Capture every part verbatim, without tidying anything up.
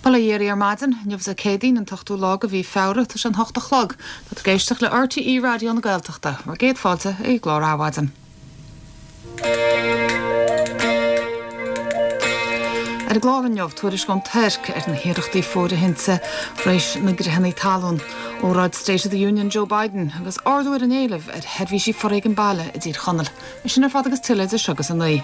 Bail ó Dhia oraibh ar maidin, inniu Dé Céadaoin an t-ochtú lá de mhí Feabhra, tá sé an hocht a chlog. Tá tú ag éisteacht le RTÉ Raidió na Gaeltachta, bhur gcéad fáilte ag an gclár Adhmhaidin. Ar an gclár inniu, tuairisc ón Tuirc ar na hiarrachtaí fóirithinte tar éis na gcreathanna talún, óráid State of the Union Joe Biden agus ardú ar an éileamh ar sheirbhísí foréigean baile i dTír Chonaill. É sin ar fad agus tuilleadh idir seo agus a naoi.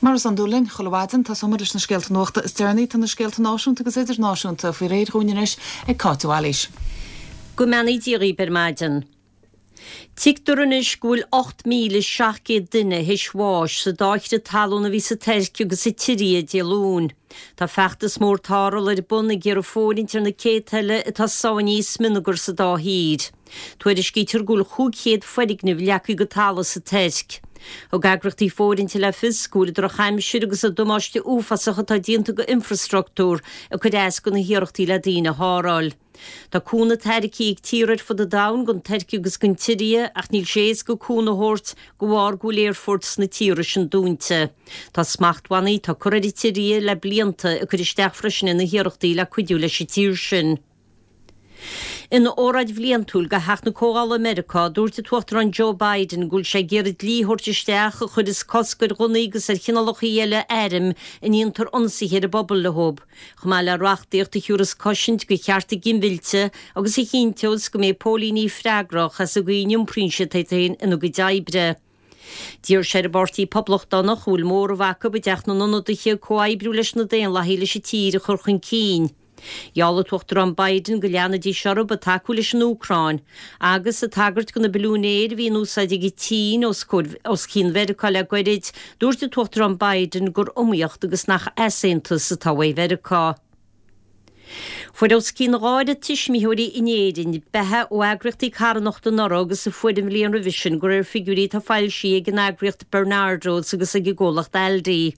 Mar is iondúil linn, chuile mhaidin, tosóimid leis na scéalta nuachta is deireanaí. Tá na scéalta náisiúnta agus idirnáisiúnta faoi réir dhúinn anois ag Cáit de Bhailís. Go mbeannaí Dia dhaoibh ar maidin. Tuigtear anois go bhfuil ocht míle seacht gcéad duine théis bháis sa dá chrith talún a bhí sa Tuirc agus sa tSiria Dé Luain. Tá feachtas mór tarrthála ar bun ag iarraidh fóirithint ar na céadta eile atá sáinnithe i smionagar sa dá thír. Tuairiscítear go bhfuil chúig chéad foirgneamh leagtha go talamh sa Tuirc. Thug eagraíochtaí fóirithinte le fios go bhfuil an drochaimsir agus an damáiste uafásach atá déanta go infreastruchtúr ag cur as go na hiarrachtaí le daoine a tharrtháil. Tá cúnamh tairgthe ag tíortha ar fud an domhain don Tuirc agus don tSiria ach níl sé éasca cúnamh a thabhairt de bharr go bhfuil aerfoirt sna tíortha sin dúnta. Tá smachtbhannaí atá curtha ar an tSiria le blianta ag cur isteach freisin ar na hiarrachtaí le cuidiú leis an tír sin. Ina óráid bhliantúil do Theach na Comhdhála i Meiriceá, dúirt an tUachtarán Joe Biden go bhfuil sé ag iarraidh dlí a thabhairt isteach a chuirfeas cosc ar ghunnaí agus ar chineálacha eile airm a ndéantar ionsaithe ar an bpobal leo, chomh maith le reachtaíocht a thiúrfas cosaint do chearta ginmhillte agus a chinnteos go mbeidh póilíní freagrach as an gcaoi a n-iompraíonn siad iad féin ina gcuid oibre. D'iarr sé ar an bPáirtí Poblachtánach, a bhfuil móramh acu i dTeach na nIonadaithe, comhoibriú leis na Daonlathaigh leis an tír a chur chun cinn. Gheall an tUachtarán Biden go leanfaidís orthu ag tacú leis an Úcráin, agus ag tagairt do na billiúin aeir a bhí in úsáid ag an tSín os os cionn Mheiriceá le goirid, dúirt an tUachtarán Biden gur iomaíocht agus nach easaontas atá uaidh Mheiriceá. Fuair os cionn dhá oiread tuismitheoirí in Éirinn beatha ó eagraíochtaí carthanachta anuraidh agus a fuair an bhliain roimhe sin, de réir figiúirí atá foilsithe ag an eagraíocht Barnardo's agus ag an gcomhlacht Aldi.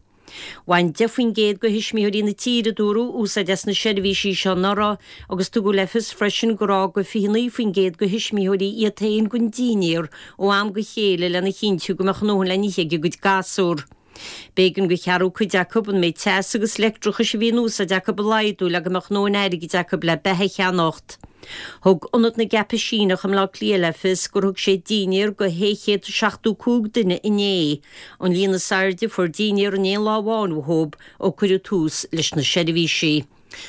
Bhain deich faoin gcéad de thuismitheoirí na tíre, a dúradh, úsáid as na seirbhísí seo anuraidh agus tugadh le fios freisin gur fhág fiche naoi faoin gcéad de thuismitheoirí iad féin gan dinnéar ó am go chéile lena chinntiú go mbeadh a ndóthain le n-ithe ag a gcuid gasúr. B'éigean do cheathrú cuid acu an méid teasa agus leictreachais a bhí in úsáid acu a laghdú le go mbeadh a ndóthain airgid acu le beatha a cheannacht. Thug Ionad na gCaipisíneach i mBleá Cliath le fios gur thug sé dinnéar do shé chéad is seachtó cúig duine inné, an líon is airde a fuair dinnéar in aon lá amháin uathu ó cuireadh tús leis na seirbhísí.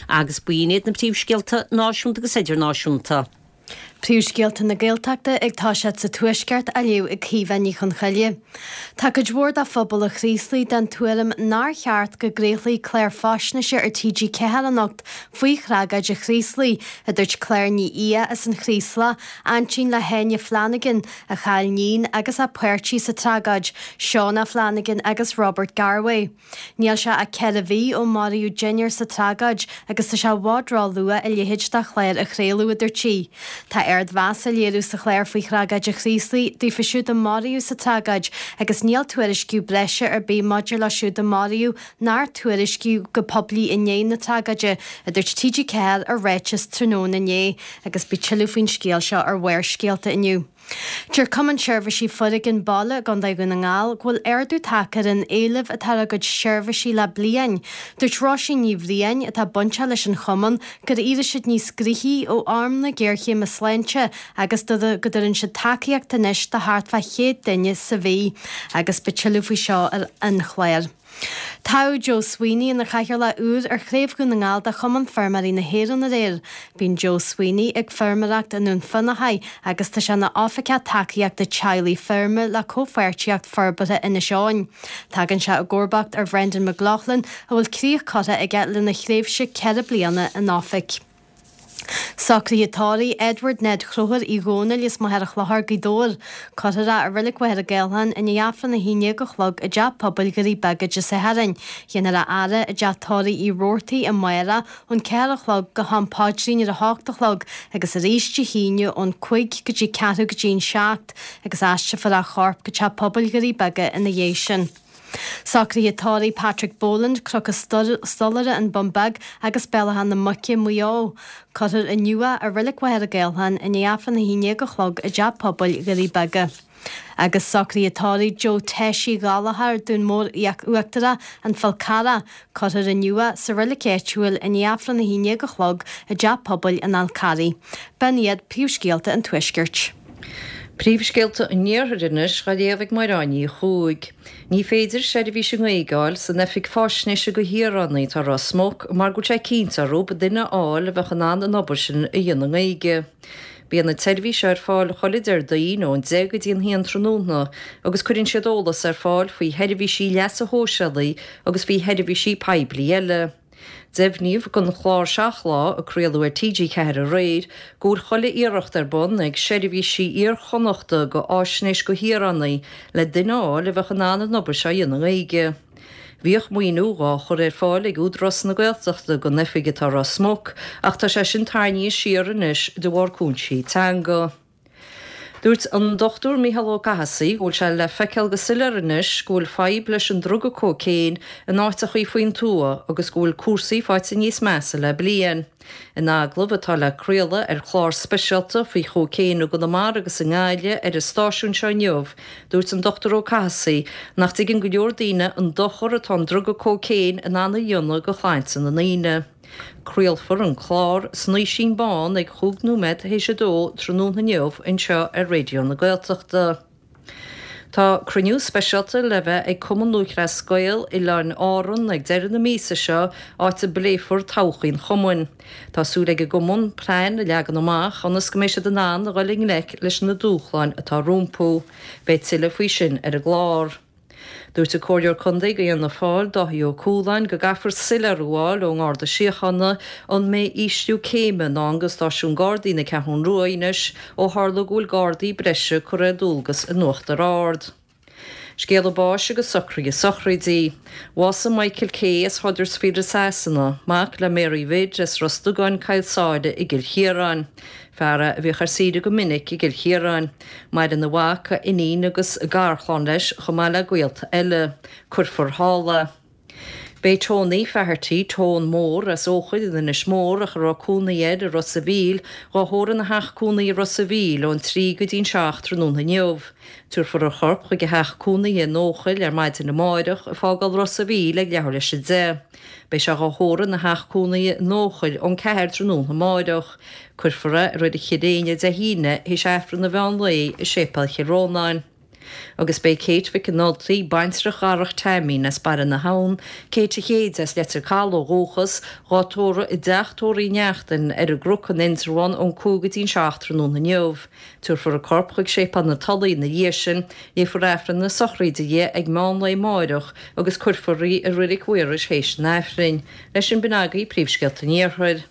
Agus b'in iad na príomhscéalta náisiúnta agus idirnáisiúnta. Príomhscéalta na Gaeltachta ag toiseacht sa Tuaisceart á léamh ag Caoimhe Ní Chonchoille. Tá cuid mhór de phobal an Chraoslaigh den tuairim nár cheart go gcraolfaí clár faisnéise ar T G ceathair anocht faoi thragóid an Chraoslaigh, a dúirt Claire Ní Aodha as an Chraoslach, aintín le hÁine Flanagan, a chaill níon agus a páirtí sa tragóid, Shauna Flanagan agus Robert Garwe. Níl sé ach ceithre mhí ó maraíodh deichniúr sa tragóid agus tá sé i bhfad ró-luath a leithéid de chlár a chraoladh, a dúirt sí. Tá ardmheas á léiriú sa chlár faoi thragóid an Chraoslaigh daofa siúd a maraíodh sa tragóid agus níl tuairisciú breise ar bith maidir leo siúd a maraíodh nár tuairiscíodh go poiblí i ndiaidh na tragóide, a dúirt T G ceathair i ráiteas tráthnóna inné agus beidh tuilleadh faoin scéal seo ar Bharrscéalta inniu. Deir Cumann Seirbhísí Foréigin Baile i gContae Dhún na nGall go bhfuil ardú tagtha ar an éileamh atá ar a gcuid seirbhísí le bliain. Dúirt Róisín Ní Bhriain, atá bainteach leis an chumann, gur éirigh siad níos gnoithí ó am na géarchéime sláinte agus go dtugann siad tacaíocht anois do thart fá chéad duine sa mhí. Agus beidh tuilleadh faoi seo ar an chlár. Toghadh Joe Sweeney ina chathaoirleach úr ar Chraobh Dhún na nGall de Chumann Feirmeoirí na hÉireann aréir. Bíonn Joe Sweeney ag feirmeoireacht i nDún Fionnachaidh agus tá sé ina oifigeach tacaíochta teaghlaigh feirme le Comhpháirtíocht Forbartha Inis Eoghain. Tagann sé i gcomharbacht ar Bhrendan McLaughlin a bhfuil críoch curtha aige lena thréimhse ceithre bliana in oifig. Socruithe tórraimh Edward Ned Chrothúir Uí Dhónaill as Machaire Chlochair, Gaoth Dobhair. Cuirfear é i Reilig Mhachaire Gathlán i ndiaidh Aifreann a haon déag a chlog i dTeach Pobail Dhoirí Beaga Dé Sathairn. Dhéanfar a fhaire i dTeach Tórraimh Uí Robhartaigh amárach ón ceathair a chlog go ham paidrín ar a hocht a chlog agus arís Dé hAoine ón cúig go dtí ceathrú go dtí an seacht agus aistreofar a chorp go Teach Pobail Dhoirí Beaga ina dhiaidh sin. Socruithe tórraimh Patrick Boland, Cnoc an Stolaire, An Bun Beag agus Bealach na Muice, Maigh Eo. Cuirfear inniu é i Reilig Mhachaire Gathlán i ndiaidh Aifreann a haon déag a chlog i dTeach Pobail Dhoirí Beaga. Agus socruithe tórraimh Joe Tessie Gallagher, Dún Mór Uachtarach, An Fál Carrach, cuirfear inniu é sa reilig áitiúil i ndiaidh Aifreann a haon déag a chlog i dTeach Pobail an Fháil Charraigh. B'in iad príomhscéalta an Tuaiscirt. Príomhscéalta an Iarthair anois á léamh ag Máire Ní Chuaig. Ní féidir seirbhís i nGaeilge a fháil san Oifig Faisnéise do Shaoránaigh atá i Ros Muc mar go bhfuil sé cinnte orthu duine a fháil a bheadh in ann an obair sin a dhéanamh i nGaeilge. Bíonn an tseirbhís seo ar fáil chuile Déardaoin ón deich go dtí an haon tráthnóna agus cuireann siad eolas ar fáil faoi sheirbhísí leasa shóisialaigh agus faoi sheirbhísí poiblí eile. Deimhníodh don chlár Seacht Lá, a craoladh ar T G ceathair aréir, go bhfuil chuile iarracht ar bun ag seirbhísí Iar-Chonnachta do Fháisnéis do Shaoránaigh le duine a fháil a bheadh in ann an obair seo a dhéanamh i nGaeilge. Bhíodh maoiniú dhá chur ar fáil ag Údarás na Gaeltachta don oifig atá i Ros Muc ach tá sé sin tarraingthe siar anois de bharr cúinsí teanga. Dúirt an Dochtúir Mícheál Ó Cathasaigh go bhfuil sé le feiceáil go soiléir anois go bhfuil fadhb leis an druga cócaon in áiteachaí faoin tuath agus go bhfuil cúrsaí faighte níos measa le bliain. In agallamh atá le craoladh ar chlár speisialta faoi chócaon i gConamara agus i nGaillimh ar an stáisiún seo inniu, dúirt an Dochtúir Ó Cathasaigh nach dtuigeann go leor daoine an dochar atá an druga cócaon in ann a dhéanamh do shláinte na ndaoine. Craolfar an clár Snaoisín Bán ag chúig nóiméad théis a dó tráthnóna inniu anseo ar Raidió na Gaeltachta. Tá cruinniú speisialta le bheith ag Cumann Lúthchleas Gael Oileáin Árann ag deireadh na míosa seo, áit a bpléifear todhchaí an chumainn. Tá súil ag an gcumann plean a leagan amach ionas go mbeidh siad in ann a dhul i ngleic leis na dúshláin atá rompu. Beidh tuilleadh faoi sin ar an gclár. Dúirt an Comhairleoir Contae do Fhianna Fáil, Dáithí Ó Cualáin, go gcaithfear soiléiriú a fháil ón nGarda Síochána an mbeidh ísliú céime i ndán do stáisiún Gardaí na Ceathrún Rua anois ó tharla go bhfuil Gardaí breise curtha ar dualgas in Uachtar Ard. Scéala báis agus socruithe sochraidí. Bhásaigh Michael Kay as Huddersfield i Sasana, mac le Mary Bhid as Ros Dugáin, Cill Sáile i gCill Chiaráin. Fear é a bhíodh ar saoire go minic i gCill Chiaráin. Maireann a mhac, a iníon agus a garchlann leis chomh maith le gaolta eile. Cuirfear thall é. Beidh Tony Faherty, Tone Mór, as Eochaill in Inis Mór ach a raibh cónaí air i Ros a' Mhíl, dhá thórramh ina theach cónaí i Ros a' Mhíl ón trí go dtí an seacht tráthnóna inniu. Tabharfar a chorp chuig a theach cónaithe in Eochaill ar maidin amárach, ag fágáil Ros a' Mhíl ag leathuair leis a deich. Beidh sé dhá thórramh ina theach cónaithe in Eochaill ón ceathair tráthnóna amárach. Cuirfear é i Reilig Chill Éinne Dé hAoine théis Aifreann an mheán lae i Séipéal Chill Rónáin. Agus beidh Kate Mhic an Ultaigh, baintreach Dharach Teaimín as Baile na hAbhann, Kate a Chéide as Leitir Caladh ó dhúchas, dhá tórramh i dteach tórraimh Uí Neachtain ar an gCnoc in Indreabhán ón cúig go dtí an seacht tráthnóna inniu. Tabharfar a corp chuig Séipéal na Tulaí ina dhiaidh sin, léifear Aifreann na sochraide di ag meán lae amárach agus cuirfear í i Reilig Mhaorais théis an Aifrinn. Leis sin b'in agaibh príomhscéalta an Iarthair.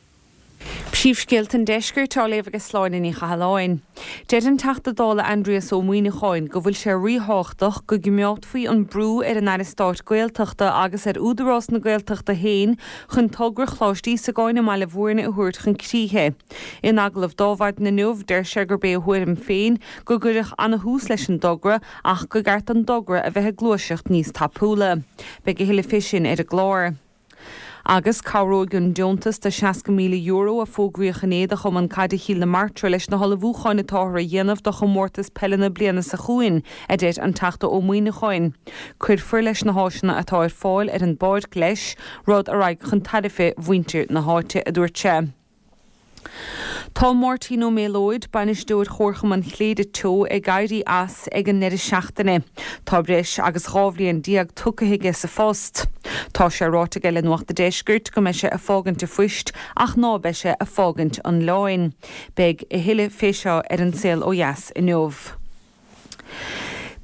Príomhscéalta an Deiscirt á léamh ag Sláine Ní Chathalláin. Deir an Teachta Dála Aindrias Ó Muimhneacháin go bhfuil sé ríthábhachtach go gcoimeádfaí an brú ar an Aire Stáit Gaeltachta agus ar Údarás na Gaeltachta féin chun togra Choláiste Íosagáin i mBaile Bhúirne a thabhairt chun críche. In agallamh do Adhmhaidin inniu, deir sé gurb é a thuairim féin go gcuirfeadh ana-thús leis an dtogra ach gur ceart don dtogra a bheith ag gluaiseacht níos tapúla. Beidh a thuilleadh fé sin ar an gclár. Agus cabhróidh an deontas de seasca míle euro a fógraíodh inné do Chumann Caide Chill na Martra leis na hullmhúcháin atáthar a dhéanamh do chomórtas peile na bliana seo chugainn, a deir an Teachta Ó Muimhneacháin. Cuirfear leis na háiseanna atá ar fáil ar an bpáirc leis, rud a raghaidh chun tairbhe mhuintir na háite, a dúirt sé. Tá Máirtín Ó Méalóid, bainisteoir Chomharchumann Chléire Teo, ag éirí as ag an ndeireadh seachtaine. Tá breis agus dhá bhliain déag tugtha aige sa phost. Tá sé ráite aige le Nuacht a' Deiscirt go mbeidh sé ag fágaint a phoist ach ná beidh sé ag fágaint an oileáin. Beidh a thuilleadh fé seo ar An Saol Ó Dheas inniu.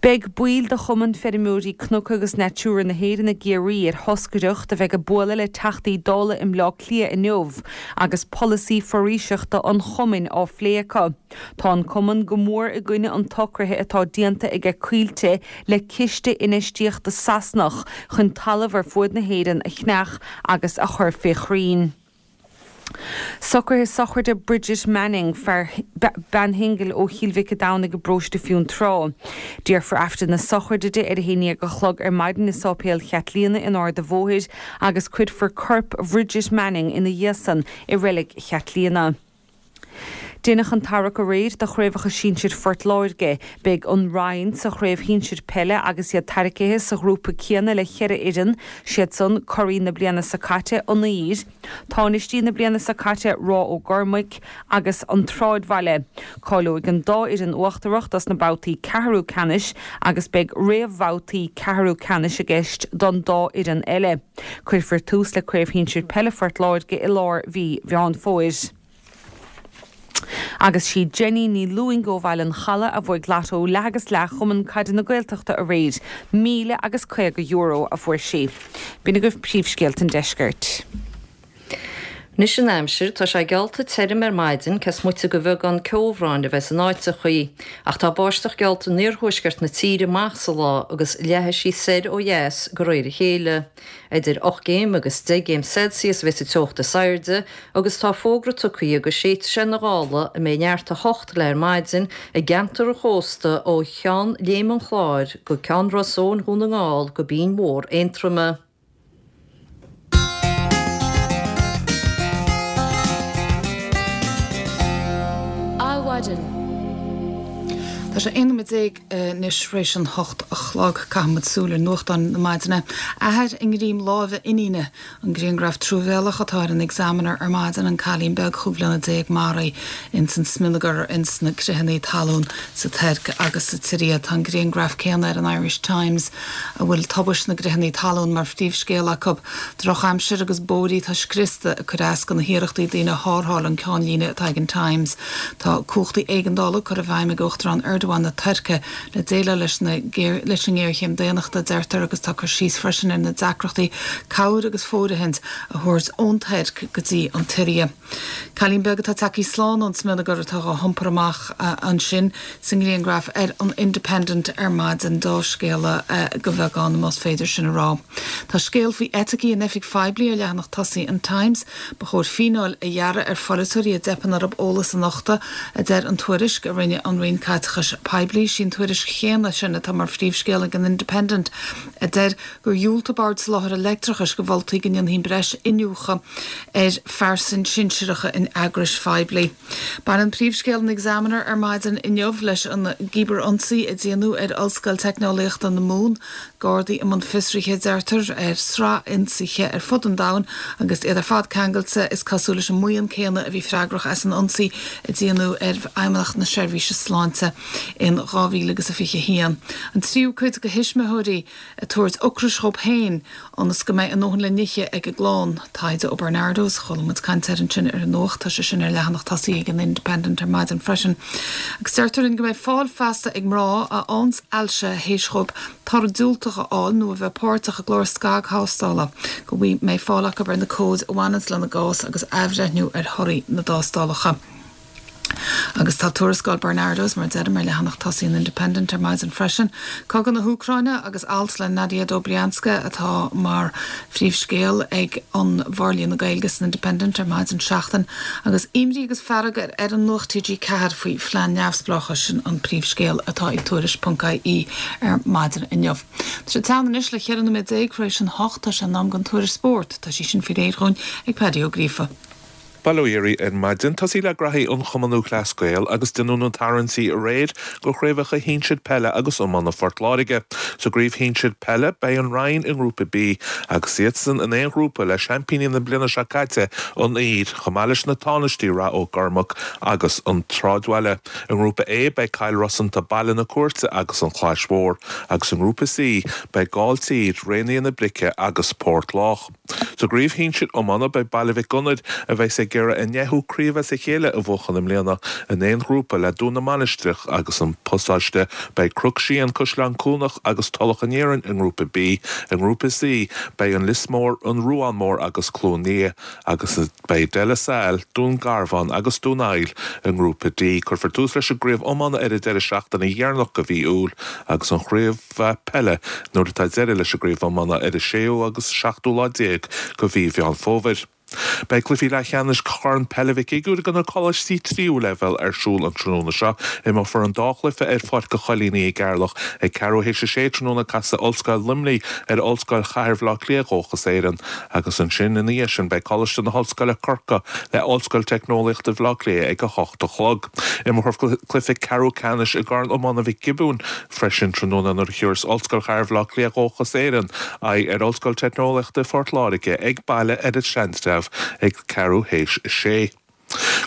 Beidh baill de Chumann Feirmeoirí Cnoc agus Natura na hÉireann i gCiarraí ar thoscaireacht a bheidh ag bualadh le Teachtaí Dála i mBleá Cliath inniu agus polasaí foraoiseachta an chumainn á phlé acu. Tá an cumann go mór i gcoinne an tsocraithe atá déanta aige Coillte le ciste infheistíochta Sasanach chun talamh ar fuaid na hÉireann a cheannach agus a chur fé chrainn. Socruithe sochraide Bridget Manning, fear bean shingil ó Chill Mhic a' Domhnaigh i bparóiste Fionntrá. Déarfar Aifreann na sochraide di ar a haon déag a chlog ar maidin i Sáipéal Chaitlíona in Ard a' Bhóthair agus cuirfear corp Bhridget Manning ina dhiaidh san i Reilig Chaitlíona. Deineadh an tarrac aréir do chraobhacha sinsir Phort Láirge. Beidh an Rinn sa chraobh shinsir peile agus iad tarraicthe sa ghrúpa céanna le cheithre fhoireann, siad san, curaidh na bliana seo caite, An Uidhir, tánaistí na bliana seo caite, Ráth Ó gCormaic, agus An Tsráidbhaile. Cáileoidh an dá fhoireann uachtarach dos na babhtaí ceathrú ceannais agus beidh réamhbhabhtaí ceathrú ceannais i gceist don dá fhoireann eile. Cuirfear tús le Craobh Shinsir Peile Phort Láirge i lár mhí Mheán Fómhair. Agus sí Jenny Ní Lúing ó Bhaile an Chalaidh a bhuaigh Lotto leath agus leath Chumann Caide na Gaeltachta aréir. Míle agus caoga euro a fuair sí. B'in agaibh príomhscéalta an deiscirt. Anois an aimsir, tá sé geallta tirim ar maidin, cés moite de bheagán ceobhráin a bheith in áiteachaí. Ach tá báisteach geallta in iarthuaisceart na tíre amach sa lá agus leathfaidh sí soir ó dheas de réir a chéile. Idir ocht gcéim agus deich gcéim Celsius a bheas an teocht is airde agus tá fógra tugtha go séidfidh sé na gála a mbeidh neart a hocht léi ar maidin i gceantar an chósta ó Cheann Léim an Chláir go Ceann Ros Eoghain Dhún na nGall go Binn Mhór Aontroma. Adhmhaidin. Tá sé aon nóiméad déag anois tar éis an hocht a chlog. Caithfimid súil ar nuachtáin na maidine. Athair i ngreim láimhe iníne. An grianghraf truamhéalach atá ar an Examiner ar maidin, an cailín beag chúig bhliana déag maraithe ins an smionagar ins na critheanna talún sa Tuirc agus sa tSiria. Tá an grianghraf céanna ar an Irish Times a bhfuil tubaist na gcritheanna talún mar phríomhscéal acu. Drochaimsir agus bóithrí atá scriosta ag cur as do na hiarrachtaí daoine a tharrtháil an ceannlíne atá ag an Times. Tá cumhachtaí éigeandála curtha i bhfeidhm ag Uachtarán Erdogan na Tuirce le déileáil leis na leis an ngéarchéim daonnachta, deirtear, agus tá cur síos freisin ar na deacrachtaí cabhair agus fóirithint a thabhairt ón Tuirc go dtí an tSiria. Cailín beag atá tagtha slán ón smionagar atá á hiompar amach ansin sa ngrianghraf ar an Independent ar maidin, dea-scéala de bheagán, más féidir sin a rá. Tá scéal faoi eiticí in oifig phoiblí ar leathanach tosaigh an Times. Ba chóir fíneáil a ghearradh ar pholaiteoirí a dteipeann orthu eolas a nochtadh, a deir an tuairisc a rinne an Roinn Caiteachais Poiblí. Sí an tuairisc chéanna sin atá mar phríomhscéal ag an Independent, a deir gur dhiúltaigh Bord Soláthair Leictreachais do mholtaí go ndéanfaí breis iniúchadh ar phearsain shinsearacha in eagrais phoiblí. Baineann príomhscéal an Examiner ar maidin inniu leis an gcíbearionsaí a déanadh ar Ollscoil Teicneolaíochta na Mumhan. Gardaí i mbun fiosraithe, deirtear, ar shraith ionsaithe ar fud an domhain agus iad ar fad ceangailte, is cosúil, leis an mbuíon céanna a bhí freagrach as an ionsaí a déanadh ar Fheidhmeannacht na Seirbhíse Sláinte in dhá mhíle agus a fiche a haon. An tríú cuid de thuismitheoirí ag tabhairt ocrais dhóibh féin ionas go mbeidh a ndóthain le n-ithe ag a gclann. Taighde ó Barnardo's, chuala muid caint air ansin ar an nuacht, tá sé sin ar leathanach tosaigh ag an Independent ar maidin freisin. Agus deirtear linn go mbeidh fáil feasta ag mná a fhaigheanns ailse théis dhóibh toradh diúltach a fháil nó a bheith páirteach i gclár scagthástála, go mbeidh fáil acu ar na comhaid a bhaineanns lena gcás agus athbhreithniú ar thorthaí na dtástálacha. Agus tá tuarascáil Barnardo's, mar a deirim, ar leathanach tosaigh an Independent ar maidin freisin. Cogadh na hÚcráine agus alt le Nadia Dobrianska atá mar phríomhscéal ag an bhForlíonadh Gaeilge san Independent ar maidin seachtain. Agus imní agus fearg ar fhoireann Nuacht T G ceathair faoi phlean neamhspleáchais, sin an príomhscéal atá ag Tuairisc ponc I E ar maidin inniu. Tá sé teann anois le ceithre nóiméad déag tar éis an hocht, tá sé in am don tuairisc spóirt. Tá sí sin faoi réir dhúinn ag Paddy Ó Gríofa. Bail ó Dhia oraibh ar maidin. Tosaí le graithí an Chumann Lúthchleas Gael agus déanadh na tarraingtí aréir do chraobhacha shinsir peile agus iomána Phort Láirge. Sa gcraobh shinsir peile, beidh an Rinn i nGrúpa B agus iadsan in aon ghrúpa le seaimpíní na bliana seo caite, an Uidhir, chomh maith leis na tánaistí Rath Ó gCormaic agus an tSráidbhaile. I nGrúpa A, beidh Cill Rosanta, Baile na Cúirte agus an Chlais Mhór agus i nGrúpa C, beidh Gailltír, Raonaithe na Brice agus Port Lách. Sa gcraobh shinsir iomána, beidh Baile Mhic Gonair, a bheas ag iarraidh a ndeichiú craobh as a chéile a bhuachan i mbliana, in aon ghrúpa le Dún na Mainistreach agus an Pasáiste. Beidh Cnoc Síon, Caisleán Cuanach agus Tulach an Iarainn i nGrúpa B. I nGrúpa C, beidh an Lios Mór, An Ruán Mór agus Cluain Liath, agus beidh De La Salle, Dún Garbhán agus Dún Aill i nGrúpa D. Cuirfear tús leis an gcraobh iomána ar an deireadh seachtaine dheireanach de mhí Iúil agus an chraobh peile nuair atá deireadh leis an gcraobh iomána ar an séú agus seachtú lá déag de mhí Mheán Fómhair. Beidh cluichí leathcheannais Chorn Peile Mhic Uidhir do na coláistí tríú leibhéal ar siúl an tráthnóna seo. Imreofar an dá chluiche ar Pháirc an Choilínigh i gCeatharlach ag ceathrú théis a sé tráthnóna casfaidh Ollscoil Luimnigh ar Ollscoil Chathair Bhaile Átha Cliath Dhóchas Éireann agus ansin ina dhiaidh sin beidh Coláiste na hOllscoile Corcaigh le Ollscoil Teicneolaíochta Bhaile Átha Cliath ag a hocht a chlog. Imreofar cluiche ceathrú ceannais i gCorn Iomána Mhic Giobúin freisin tráthnóna nuair a thiúrfas Ollscoil Chathair Bhaile Átha Cliath Dhóchas Éireann aghaidh ar Ollscoil Teicneolaíochta Phort Láirge ag baile ar an Seantrabh ag ceathrú théis a sé.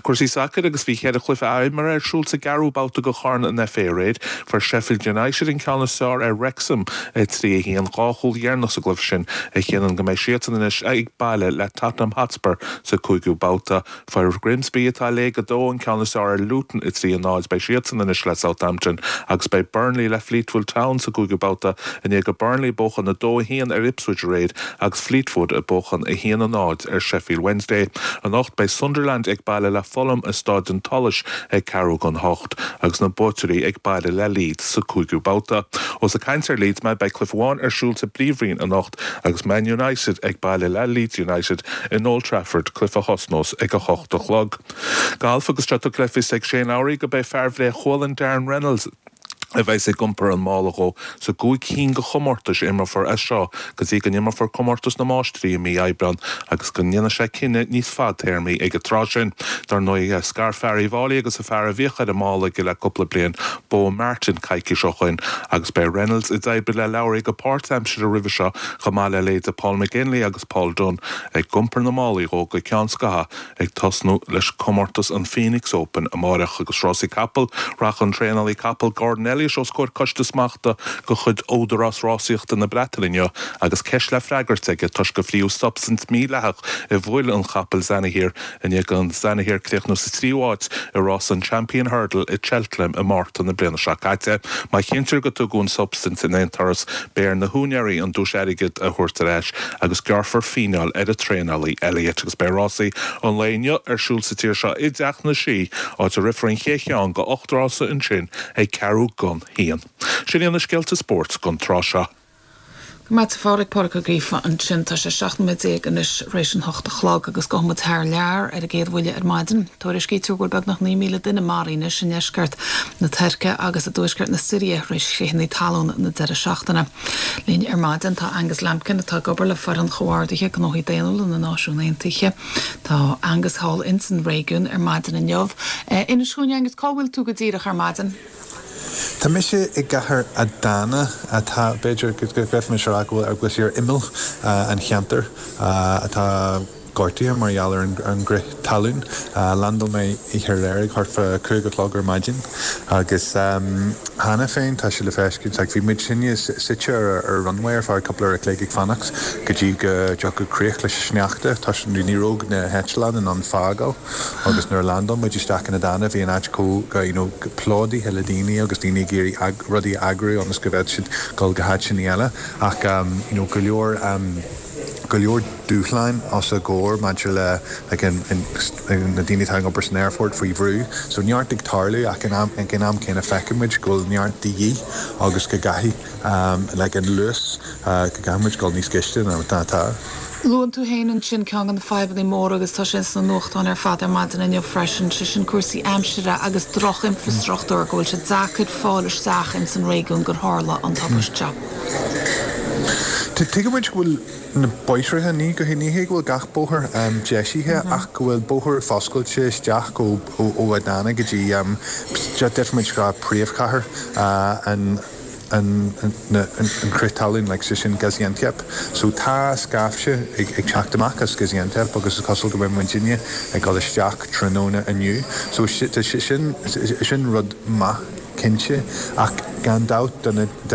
Cúrsaí sacair agus bhí ceithre chluiche imeartha ar siúl sa gceathrú babhta de Chorn an FA aréir. Fuair Sheffield United an ceann is fearr ar Wrexham a trí a haon dhá chúl dheireanach sa gcluiche sin a chinnteoidh go mbeidh siadsan anois ag baile le Tottenham Hotspur sa cúigiú babhta. Fuair Grimsby atá i Léig a dó an ceann is fearr ar Luton a trí a náid beidh siadsan anois le Southampton agus beidh Burnley le Fleetwood Town sa gcúigiú babhta i ndiaidh do Burnley buachan a dó a haon ar Ipswich aréir agus Fleetwood ag buachan a haon a náid ar Sheffield Wednesday. Anocht beidh Sunderland ag baile le Fulham i Staid an tSolais ag ceathrú don hocht agus na buaiteoirí ag baile le Leeds sa cúigiú babhta. Ós ag caint ar Leeds mé beidh cluiche amháin ar siúl sa bPríomhroinn anocht agus Man United ag baile le Leeds United in Old Trafford cluiche a thosnós ag a hocht a chlog. Galf agus seo le fios ag Shane Lowry go mbeidh fear Bhléth Chualann Darren Reynolds a bheas ag iompar an mála dhó sa gcúig cinn de chomórtais a imreofar as seo go dtí go n-imreofar comórtas na máistrí i mí Aibreáin agus go ndéanfaidh sé cinneadh níos fadtéarmaí ag an tráth sin. Dar ndóigh scar fear Uíbh Fhailí agus an fear a bhíodh ar an mála aige le cúpla bliain Beau Martin coicís ó shin agus beidh Reynolds ag obair le Lowry go páirtaimseartha roimhe seo chomh maith le leithéidí Paul McGinley agus Paul Dunne ag iompar na málaí dhó go ceann scatha ag tosnú leis comórtas an Phoenix Open amárach agus rásaí capall rachaidh an traenálaí capall Gordon Elliott os comhair coiste smachta de chuid Údarás Rásaíochta na Breataine inniu agus ceist le freagairt aige toisc gur fríodh substaint mhídhleathach i bhfuil an chapaill Zanahiyr i ndiaidh do Zanahiyr críochnú sa tríú háit i rás an Champion Hurdle i Cheltenham i Márta na bliana seo caite. Má chinntear gur tugadh an substaint in aon turas beidh ar na húinéirí an duais airgid a thabhairt ar ais agus gearrfar fíneáil ar an traenálaí Elliott agus beidh rásaí an lae inniu ar siúl sa tír seo i dTeach na Sí áit a rithfear an chéad cheann de ocht rása ansin ag ceathrú don haon. Sin iad na scéalta spóirt don tráth seo. Go maith Phádraig Pádraig Ó Gríofa ansin tá sé seacht nóiméad déag anois théis an hocht a chlog agus gabhfaidh muid thar lear ar an gcéad bhuille ar maidin. Tuairiscítear go bhfuil beagnach naoi míle duine maraithe anois i ndeisceart na Tuirce agus i dtuaisceart na Siria théis chritheanna talún na deireadh seachtaine. Linn ar maidin tá Angus Lampkin atá ag obair le foireann chomhordaithe gnóthaí daonnúla na Náisiún Aontaithe. Tá Angus thall ins an réigiún ar maidin inniu. Inis dúinn Angus cá bhfuil tú go díreach ar maidin. Tá mise i gcathair Adana atá b'fhéidir go bhféadfaimis a rá go bhfuil sé ar imeall an cheantair atá gortaithe mar gheall ar an gcrith talún. Landáil mé oíche aréir ag thart fá cúig a chlog ar maidin agus cheana féin tá sé le feiscint like bhí muid sinne suite ar ar runway ar feadh cúpla uair a chloig ag fanacht go dtí go dtiocfadh críoch leis an sneachta tá ní raibh na heitleáin in ann fágáil agus nuair a landáil muid isteach in Adana bhí an áit chomh you know plódaithe le daoine agus daoine ag iarraidh rudaí a eagrú ionas go bhféadfadh siad dul go háiteanna eile ach um, you know, go leor um, go leor dúshláin os a gcomhair maidir le like, an, an, na daoine atá ag obair san aerfort faoi bhrú, so neart ag tarlú ach an am ag an am céanna feicimid go bhfuil neart de dhíth agus go gcaithfidh um, like an luas uh, go gcaithfimid dul níos gaiste ná atá. Luann tú féin ansin ceann de na fadhbanna móra agus tá sin sna nuachtáin ar fad ar maidin inniu freisin sé sin cúrsaí aimsire agus droch-infrastruchtúr go bhfuil sé deacair fáil isteach ins an réigiún gur tharla an tubaiste seo. Tuigimid go bhfuil na bóithre ní go ní hé go bhfuil gach bóthar um, deisithe mm -hmm. ach go bhfuil bóthar foscailte isteach ó ó Adana go dtí um, deirfimis go príomhchathair uh, an an an crith talún like sé sin Gaziantep. So tá scaifte ag, ag teacht amach as Gaziantep agus is cosúil go bhfuil muidinne ag dul isteach tráthnóna inniu. So sin sin rud maith cinnte ach gan dabht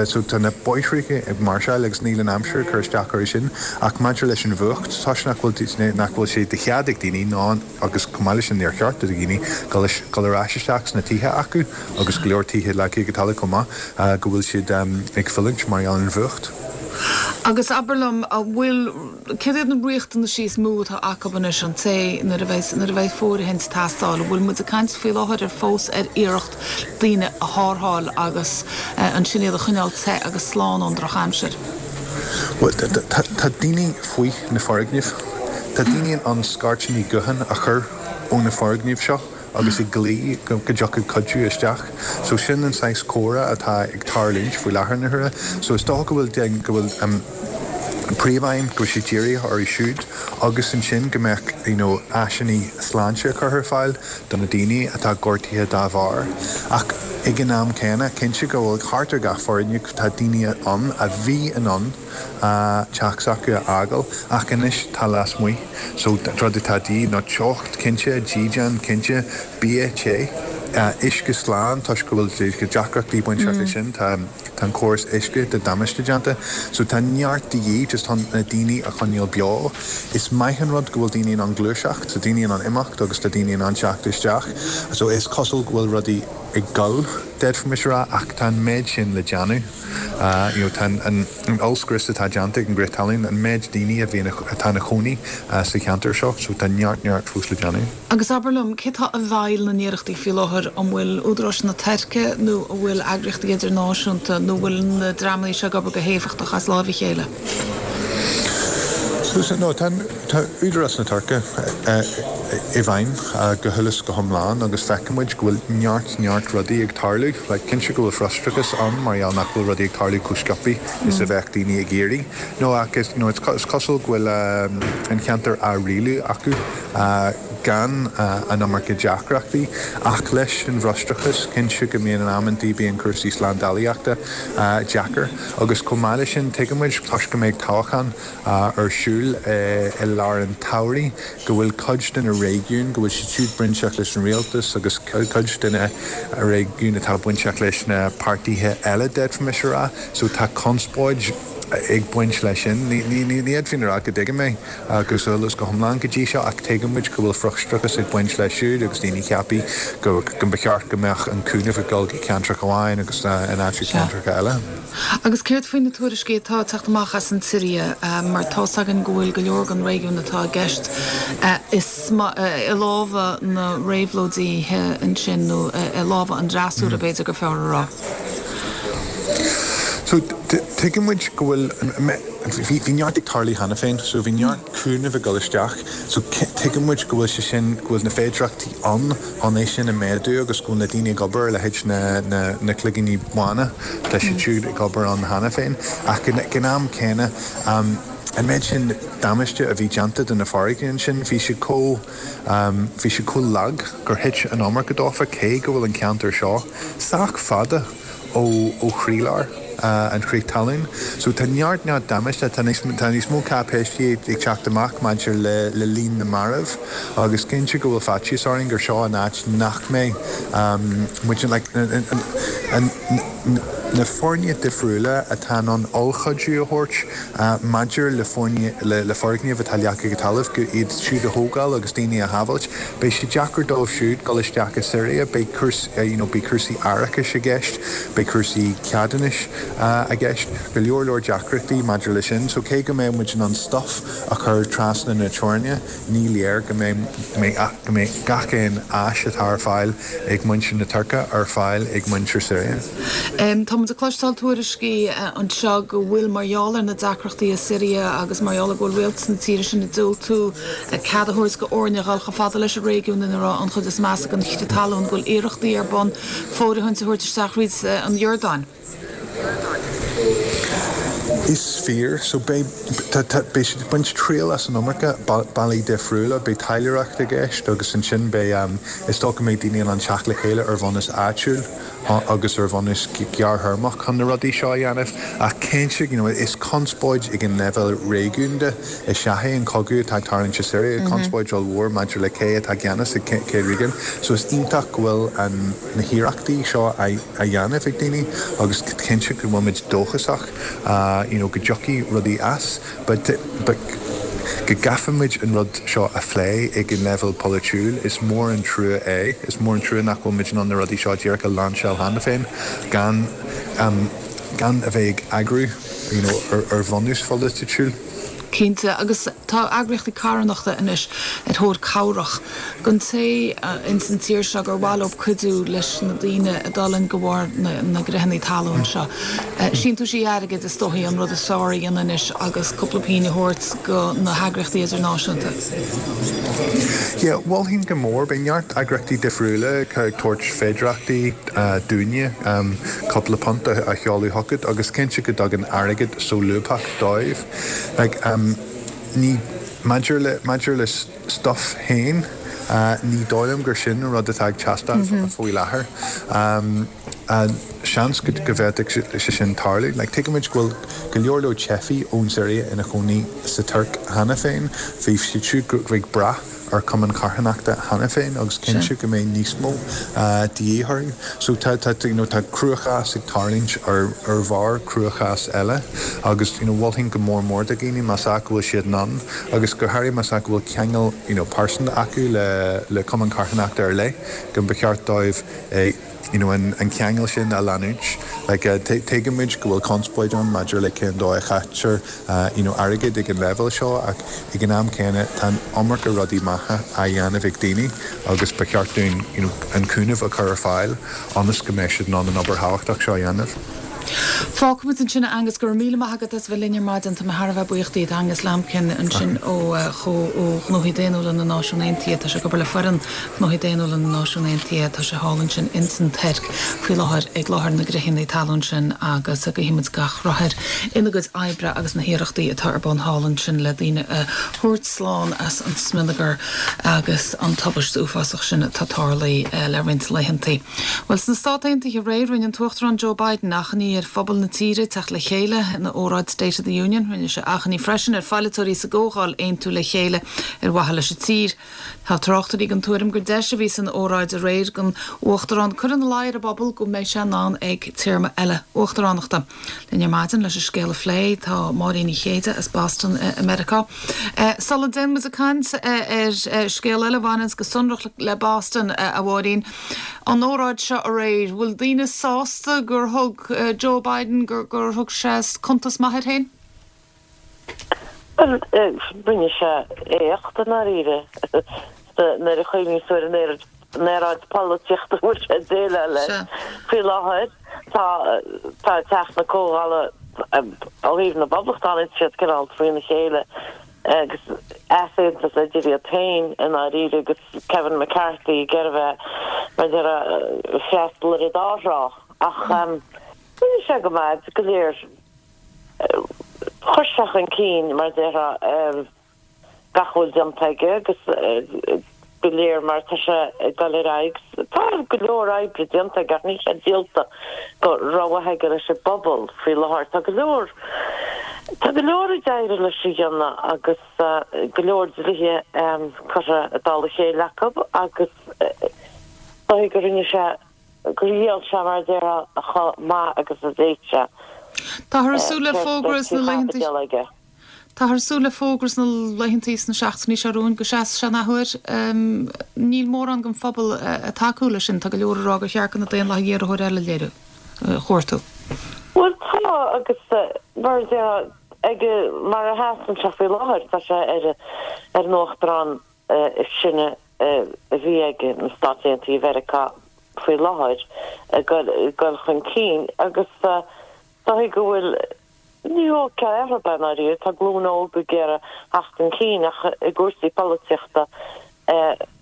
so tá na bóithre ag máirseáil agus níl an aimsir cur isteach ar sin ach maidir leis an bhfuacht tá nach bhfuil nach bhfuil sé de chead ag daoine ná agus chomh maith leis sin níor cheart do dhaoine dul ar ais isteach sna tithe acu agus go leor tithe leagtha go talamh chomh maith go bhfuil siad um, ag fulaingt mar gheall ar an bhfuacht. Agus abair liom an bhfuil cad iad na riachtanais is mó atá acu anois an té nuair a bheidh nuair a bheidh fóirithint ag teastáil, bhfuil muid ag caint faoi láthair ar fós ar iarracht daoine a tharrtháil agus ansin iad a choinneáil te agus slán ón drochaimsir. Tá daoine faoi na foirgnimh. Tá daoine in ann scairteanna gutháin a chur ó na foirgnimh seo agus ag glaoch go dtiocfaidh cuidiú isteach. So sin an saghas comhrá atá ag tarlúint faoi láthair na huaire. So is dócha go bhfuil go bhfuil um, príomhaidhm go bhfuil sé dírithe orthu siúd agus ansin go mbeadh you know, áiseanna sláinte curtha ar fáil do na daoine atá gortaithe dá bharr. Ach ag an am céanna cinnte go bhfuil thart ar gach foirgneamh tá daoine ann a bhí in ann teach s'acu a fhágáil ach anois tá lasmuigh. So rud atá de dhíth ná teocht cinnte, dídean cinnte, bia te. Uisce slán toisc go bhfuil deacrachtaí bainteach leis sin tá tá an córas uisce de damáiste déanta, so tá neart de dhíth just chun na daoine a choinneáil beo. Is maith an rud go bhfuil daoine in ann gluaiseacht, so daoine in ann imeacht agus tá daoine in ann teacht isteach. So is cosúil go bhfuil rudaí ag dul d'fhéadfaimis a rá ach tá an méid sin le déanamh. Uh, you know, tá an, an ollscrios atá déanta ag an gcrith talún an méid daoine a bhíonn atá ina gcónaí uh, sa cheantar seo, so tá neart neart fós le déanamh. Agus abair liom cé tá i bhfeighil na n-iarrachtaí faoi láthair an bhfuil údaráis na Tuirce nó an bhfuil eagraíochtaí idirnáisiúnta nó bhfuil na dreamanna seo ag obair go héifeachtach as lámh a chéile. So, no, tá tá údarás na Tuirce i bhfeidhm go huile is go hiomlán agus feicimid go bhfuil neart neart rudaí ag tarlú, le cinnte go bhfuil frustrachas ann mar gheall nach bhfuil rudaí ag tarlú chomh sciobtha is a bheadh daoine ag iarraidh. No ach is, no, is cosúil go bhfuil um, an cheantar á rialú acu uh, gan uh, an iomarca deacrachtaí ach leis an bhfrustrachas cinnte go mbíonn in amantaí bíonn cúrsaí slándálaíochta uh, deacair agus chomh maith leis sin tuigimid toisc go mbeidh toghchán uh, ar siúl uh, i lár an tsamhraidh go bhfuil cuid de na réigiúin go bhfuil siad siúd bainteach leis an rialtas agus cuid de na réigiúin atá bainteach leis na páirtithe eile d'fhéadfaimis a rá, so tá conspóid ag baint leis sin ní fhéadfainn a rá go dtuigim é agus eolas go hiomlán go dtí seo ach tuigimid go bhfuil frustrachas ag baint leis siúd agus daoine ag ceapadh go go mba cheart go mbeadh an cúnamh ag dul go ceantracha amháin agus in áit ceantracha eile. Agus céard faoi na tuairiscí atá ag teacht amach as an tSiria mar tá a fhios againn go bhfuil go leor den réigiún atá i gceist i lámha na réabhlóidithe ansin nó i lámha an fhreasúra b'fhéidir gur fearr a rá. So tuigimid go bhfuil bhí neart ag tarlú cheana féin, so bhí neart cúnamh ag dul isteach, so tuigimid go bhfuil sé sin go bhfuil na féidearthachtaí ann chun é sin a mhéadú agus go bhfuil na daoine ag obair le haghaidh na, na, na cloigíní bána tá siad siúd ag obair ann cheana féin ach ag an am céanna um, an méid sin damáiste a bhí déanta de na foirgnimh sin bhí siad chomh um, bhí siad chomh lag gur thit an iomarca dófa cé go bhfuil an ceantar seo sách fada ó ó chroílár uh, an chrith talún. So tá neart neart damáiste tá níos tá níos mó cáipéisí ag teacht amach maidir le le líon na marbh agus cinnte go bhfuil faitíos orainn gur seo an áit nach mbeidh um, muid like, an, an, an, na foirne difriúla atá an ollchuidiú a thabhairt uh, maidir le foirne le, le foirgnimh atá leagtha go talamh go iad siúd a thógáil agus daoine a shábháilt. Beidh sé deacair dóibh siúd dul isteach i Siria, beidh cúrs, uh, you know, beidh cúrsaí árachais i gceist, beidh cúrsaí ceadúnais uh, i gceist, go leor leor deacrachtaí maidir le sin, so cé go mbeidh muid in ann stuff a chur trasna na teorann, ní léir go mbeidh go mbeidh gach aon áis atá ar fáil ag muintir na Tuirce ar fáil ag muintir Siria. Um, Tá ag cloisteáil tuairiscí anseo go bhfuil mar gheall ar na deacrachtaí i Siria agus mar gheall go bhfuil rialtas na tíre sin ag diúltú cead a thabhairt do fhoirne a dhul chomh fada leis an réigiún ina raibh an chuid is measa den chrith talún go bhfuil iarrachtaí ar bun fóirithint a thabhairt isteach thríd an Iordáin. Is fíor so beidh siad ag baint triail as an iomarca bealaí difriúla, beidh taidhleoireacht i gceist agus ansin beidh um, is dócha go mbeidh daoine an teacht le chéile ar bhunús áitiúil agus ar bhunús gearrthéarmach chun na rudaí seo a dhéanamh ach cinnte you know, is conspóid ag an leibhéal réigiúnda is ea é an cogadh atá ag tarlú i Siria mm -hmm. conspóid mhór maidir le cé atá i gceannas ag cé réigiún, so is iontach go bhfuil an na hiarrachtaí seo á dhéanamh ag daoine agus cinnte go bhfuil muid dóchasach uh, you know, go dtiocfaidh rudaí as, but, but go gcaithfimid an rud seo a phlé ag an leibhéal polaitiúil is mór an trua é, is mór an trua nach bhfuil muid in ann na rudaí seo díreach a lainseáil cheana féin gan um, gan a bheith ag eagrú you know, ar, ar bhunús polaitiúil. Cinnte, agus tá eagraíochtaí carthanachta anois ar thóir cabhrach don té ins an tír seo gur mhaith leo cuidiú leis na daoine a d'fhulaing de bharr na gcreitheanna talún seo. Síntiúisí airgid is dóichí an rud is fearr a dhéanamh anois agus cúpla pingin a thabhairt go na heagraíochtaí idirnáisiúnta. Yeah, mholfainn go mór, beidh neart eagraíochtaí difriúla ag tabhairt féidearthachtaí dúinne cúpla punt a sheoladh chugat agus cinnte go dtagann airgead solúbtha dóibh. Like, um, ní maidir le maidir le stuff féin, uh, ní dóigh liom gur sin an rud atá ag teastáil mm -hmm. faoi láthair. Um, uh, seans go go bhféadfadh sé sin tarlú. Like, tuigimid go bhfuil go leor leor teifigh ón Siria ina chónaí sa Tuirc cheana féin, bhí siad siúd ag brath ar cumann carthanachta cheana féin agus cinnte go mbeidh níos mó de dhíth orthu. So tá tá you know, tá cruachás ag tarlúint ar ar bharr cruachás eile agus you know, mholfainn go mór mór do dhaoine más ea go bhfuil siad in ann agus go háirithe más ea go bhfuil ceangal you know, pearsanta acu le le cumann carthanachta ar leith go mba cheart dóibh eh, you know, an, an ceangal sin a leanúint. Like, uh, tuigimid go bhfuil conspóid ann maidir le cén dóigh a chaitear uh, you know, airgead ag an leibhéal seo ach ag an am céanna tá iomarca rudaí maithe á dhéanamh ag daoine agus ba cheart dúinn you know, an cúnamh a chur ar fáil ionas go mbeidh siad in ann an obair thábhachtach seo a dhéanamh. Fágfaimid ansin Angus go raibh míle maith agat as bheith linn ar maidin tá mé thar a bheith buíoch díot Angus Lambkin ansin ó ó Ghnóthaí Daonnúla na Náisiún Aontaithe tá sé ag obair le foireann Ghnóthaí Daonnúla na Náisiún Aontaithe tá sé thall ansin insan Tuirc faoi láthair ag láthair na gcreitheanna talún sin agus guímid gach rath air ina gcuid oibre agus na hiarrachtaí atá ar bun thall ansin le daoine a thabhairt slán as an smionagar agus an tubaiste uafásach sin atá tarlaithe le roinnt laethanta. Well sna Stáit Aontaithe aréir rinne an tUachtarán Joe Biden achainí ar phobal na tíre teacht le chéile ina óráid State of the Union, rinne sé achainí freisin ar pholaiteoirí sa gComhdháil aontú le chéile ar mhaithe leis an tír. Tá tráchtairí den tuairim gur deis a bhí san óráid aréir don uachtarán cur ina luí ar an bpobal go mbeidh sé ann ag téarma eile uachtaránachta. Linn ar maidin leis an scéal a phlé tá Máirín Ní Chéide as Boston i Meiriceá. Sula ndéanann muid caint ar scéal eile a bhaineann go sonrach le Boston a Mháirín. An óráid seo aréir, bhfuil daoine sásta gur thug Joe Biden gur gur thug sé cuntas maith air féin? Well, rinne sé éacht i ndáiríre nuair a chuimhníonn tú ar an aeráid polaitíochta bhfuil sé ag déileáil leis faoi láthair tá tá teach na comhdhála ó thaobh na bPoblachtánaigh siad cineál trína chéile agus easaontas idir iad féin i ndáiríre agus Kevin McCarthy ag iarraidh bheith mar ag freastal ar an dá thrá ach rinne sé go maith go léir chuir sé chun cinn mar déarfá gach a bhfuil déanta aige agus go léir mar tá sé ag dul ar aghaidh. Tá go leor oibre déanta aige ach níl sé díolta go rómhaith aige leis an bpobal faoi láthair. Tá go leor tá go leor ag éirí leis a dhéanamh agus go leor dlíthe curtha i dtoll a chéile acu agus dóigh go rinne sé gur dhíol sé mar a déarfá chomh maith agus a d'fhéad sé. Táthar ag súil le fógra sna laethanta Táthar ag súil le fógra sna laethanta sna seachtainí seo romhainn go seasfaidh sé an athuair. Níl mórán den phobal ag tacú leis sin, tá go leor ag rá gur cheart do na Daonlathaigh iarrthóir eile a léiriú, a chuartú. Bhuel tá agus mar a déarfá ag mar a sheasann sé faoi láthair tá sé ar ar an uachtarán is sine a bhí ag na Stáit Aontaithe Mheiriceá faoi láthair ag dul chun cinn agus dóigh go bhfuil ní ócáid ar bith i ndáiríre, tá glúin óg ag iarraidh theacht chun cinn ach i gcúrsaí polaitíochta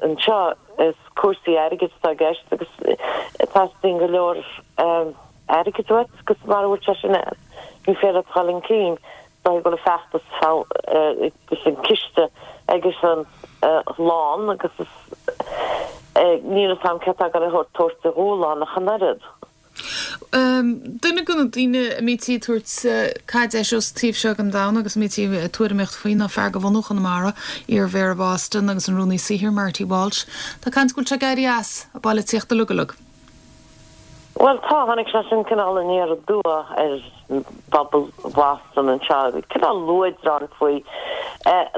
anseo is cúrsaí airgid atá i gceist agus teastaíonn go leor airgid uait agus mara bhfuil sé sin ann ní féidir leat dul chun cinn. Dóigh go bhfuil an feachtas agus an ciste aigesean lán agus is níl a fhios agam cé atá ag dul a thabhairt a dhúshlán ach an oiread. Duine de na daoine a mbítí ag tabhairt caid leis ón taobh seo den domhan agus a mbítí ag tuairimíocht faoi ná fear de bhunadh Chonamara, iar-Mhéara Boston agus an Rúnaí Saothair Marty Walsh. Tá caint go bhfuil sé ag éirí as an bpolaitíocht uilig uilig. Bhuel tá, tháinig sé sin cineál aniar aduaidh ar phobal Bhoston anseo, cineál luaidreán faoi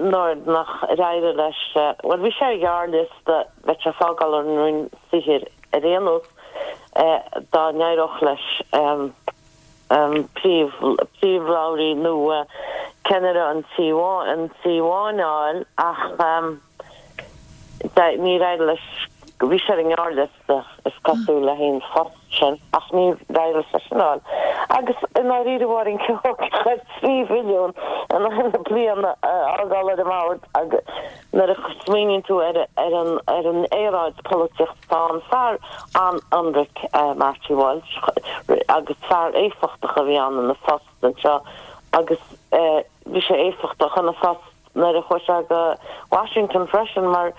nuair nach ar éirigh leis, bhuel bhí sé ar ghearrliosta, bheadh sé ag fágáil an Roinn Saothair ar aon nós dá n-éireodh leis príomhlabhraí nua ceannaire an Tí an Tí Bháin a fháil ach níor éirigh leis, bhí sé ar an ngearrliosta is cosúil le haghaidh an phost sin ach níor éirigh leis é sin a fháil. Agus i ndáiríre Mháirín Keogh trí bhilliún in aghaidh na bliana a fhágáil ar an mbord agus nuair a smaoiníonn tú ar ar an ar an aeráid polaitíochta atá ann, fear an-ionraic Marty Walsh agus fear éifeachtach a bhí ann ina phost anseo agus bhí sé éifeachtach ina phost nuair a chuaigh sé go Washington freisin mar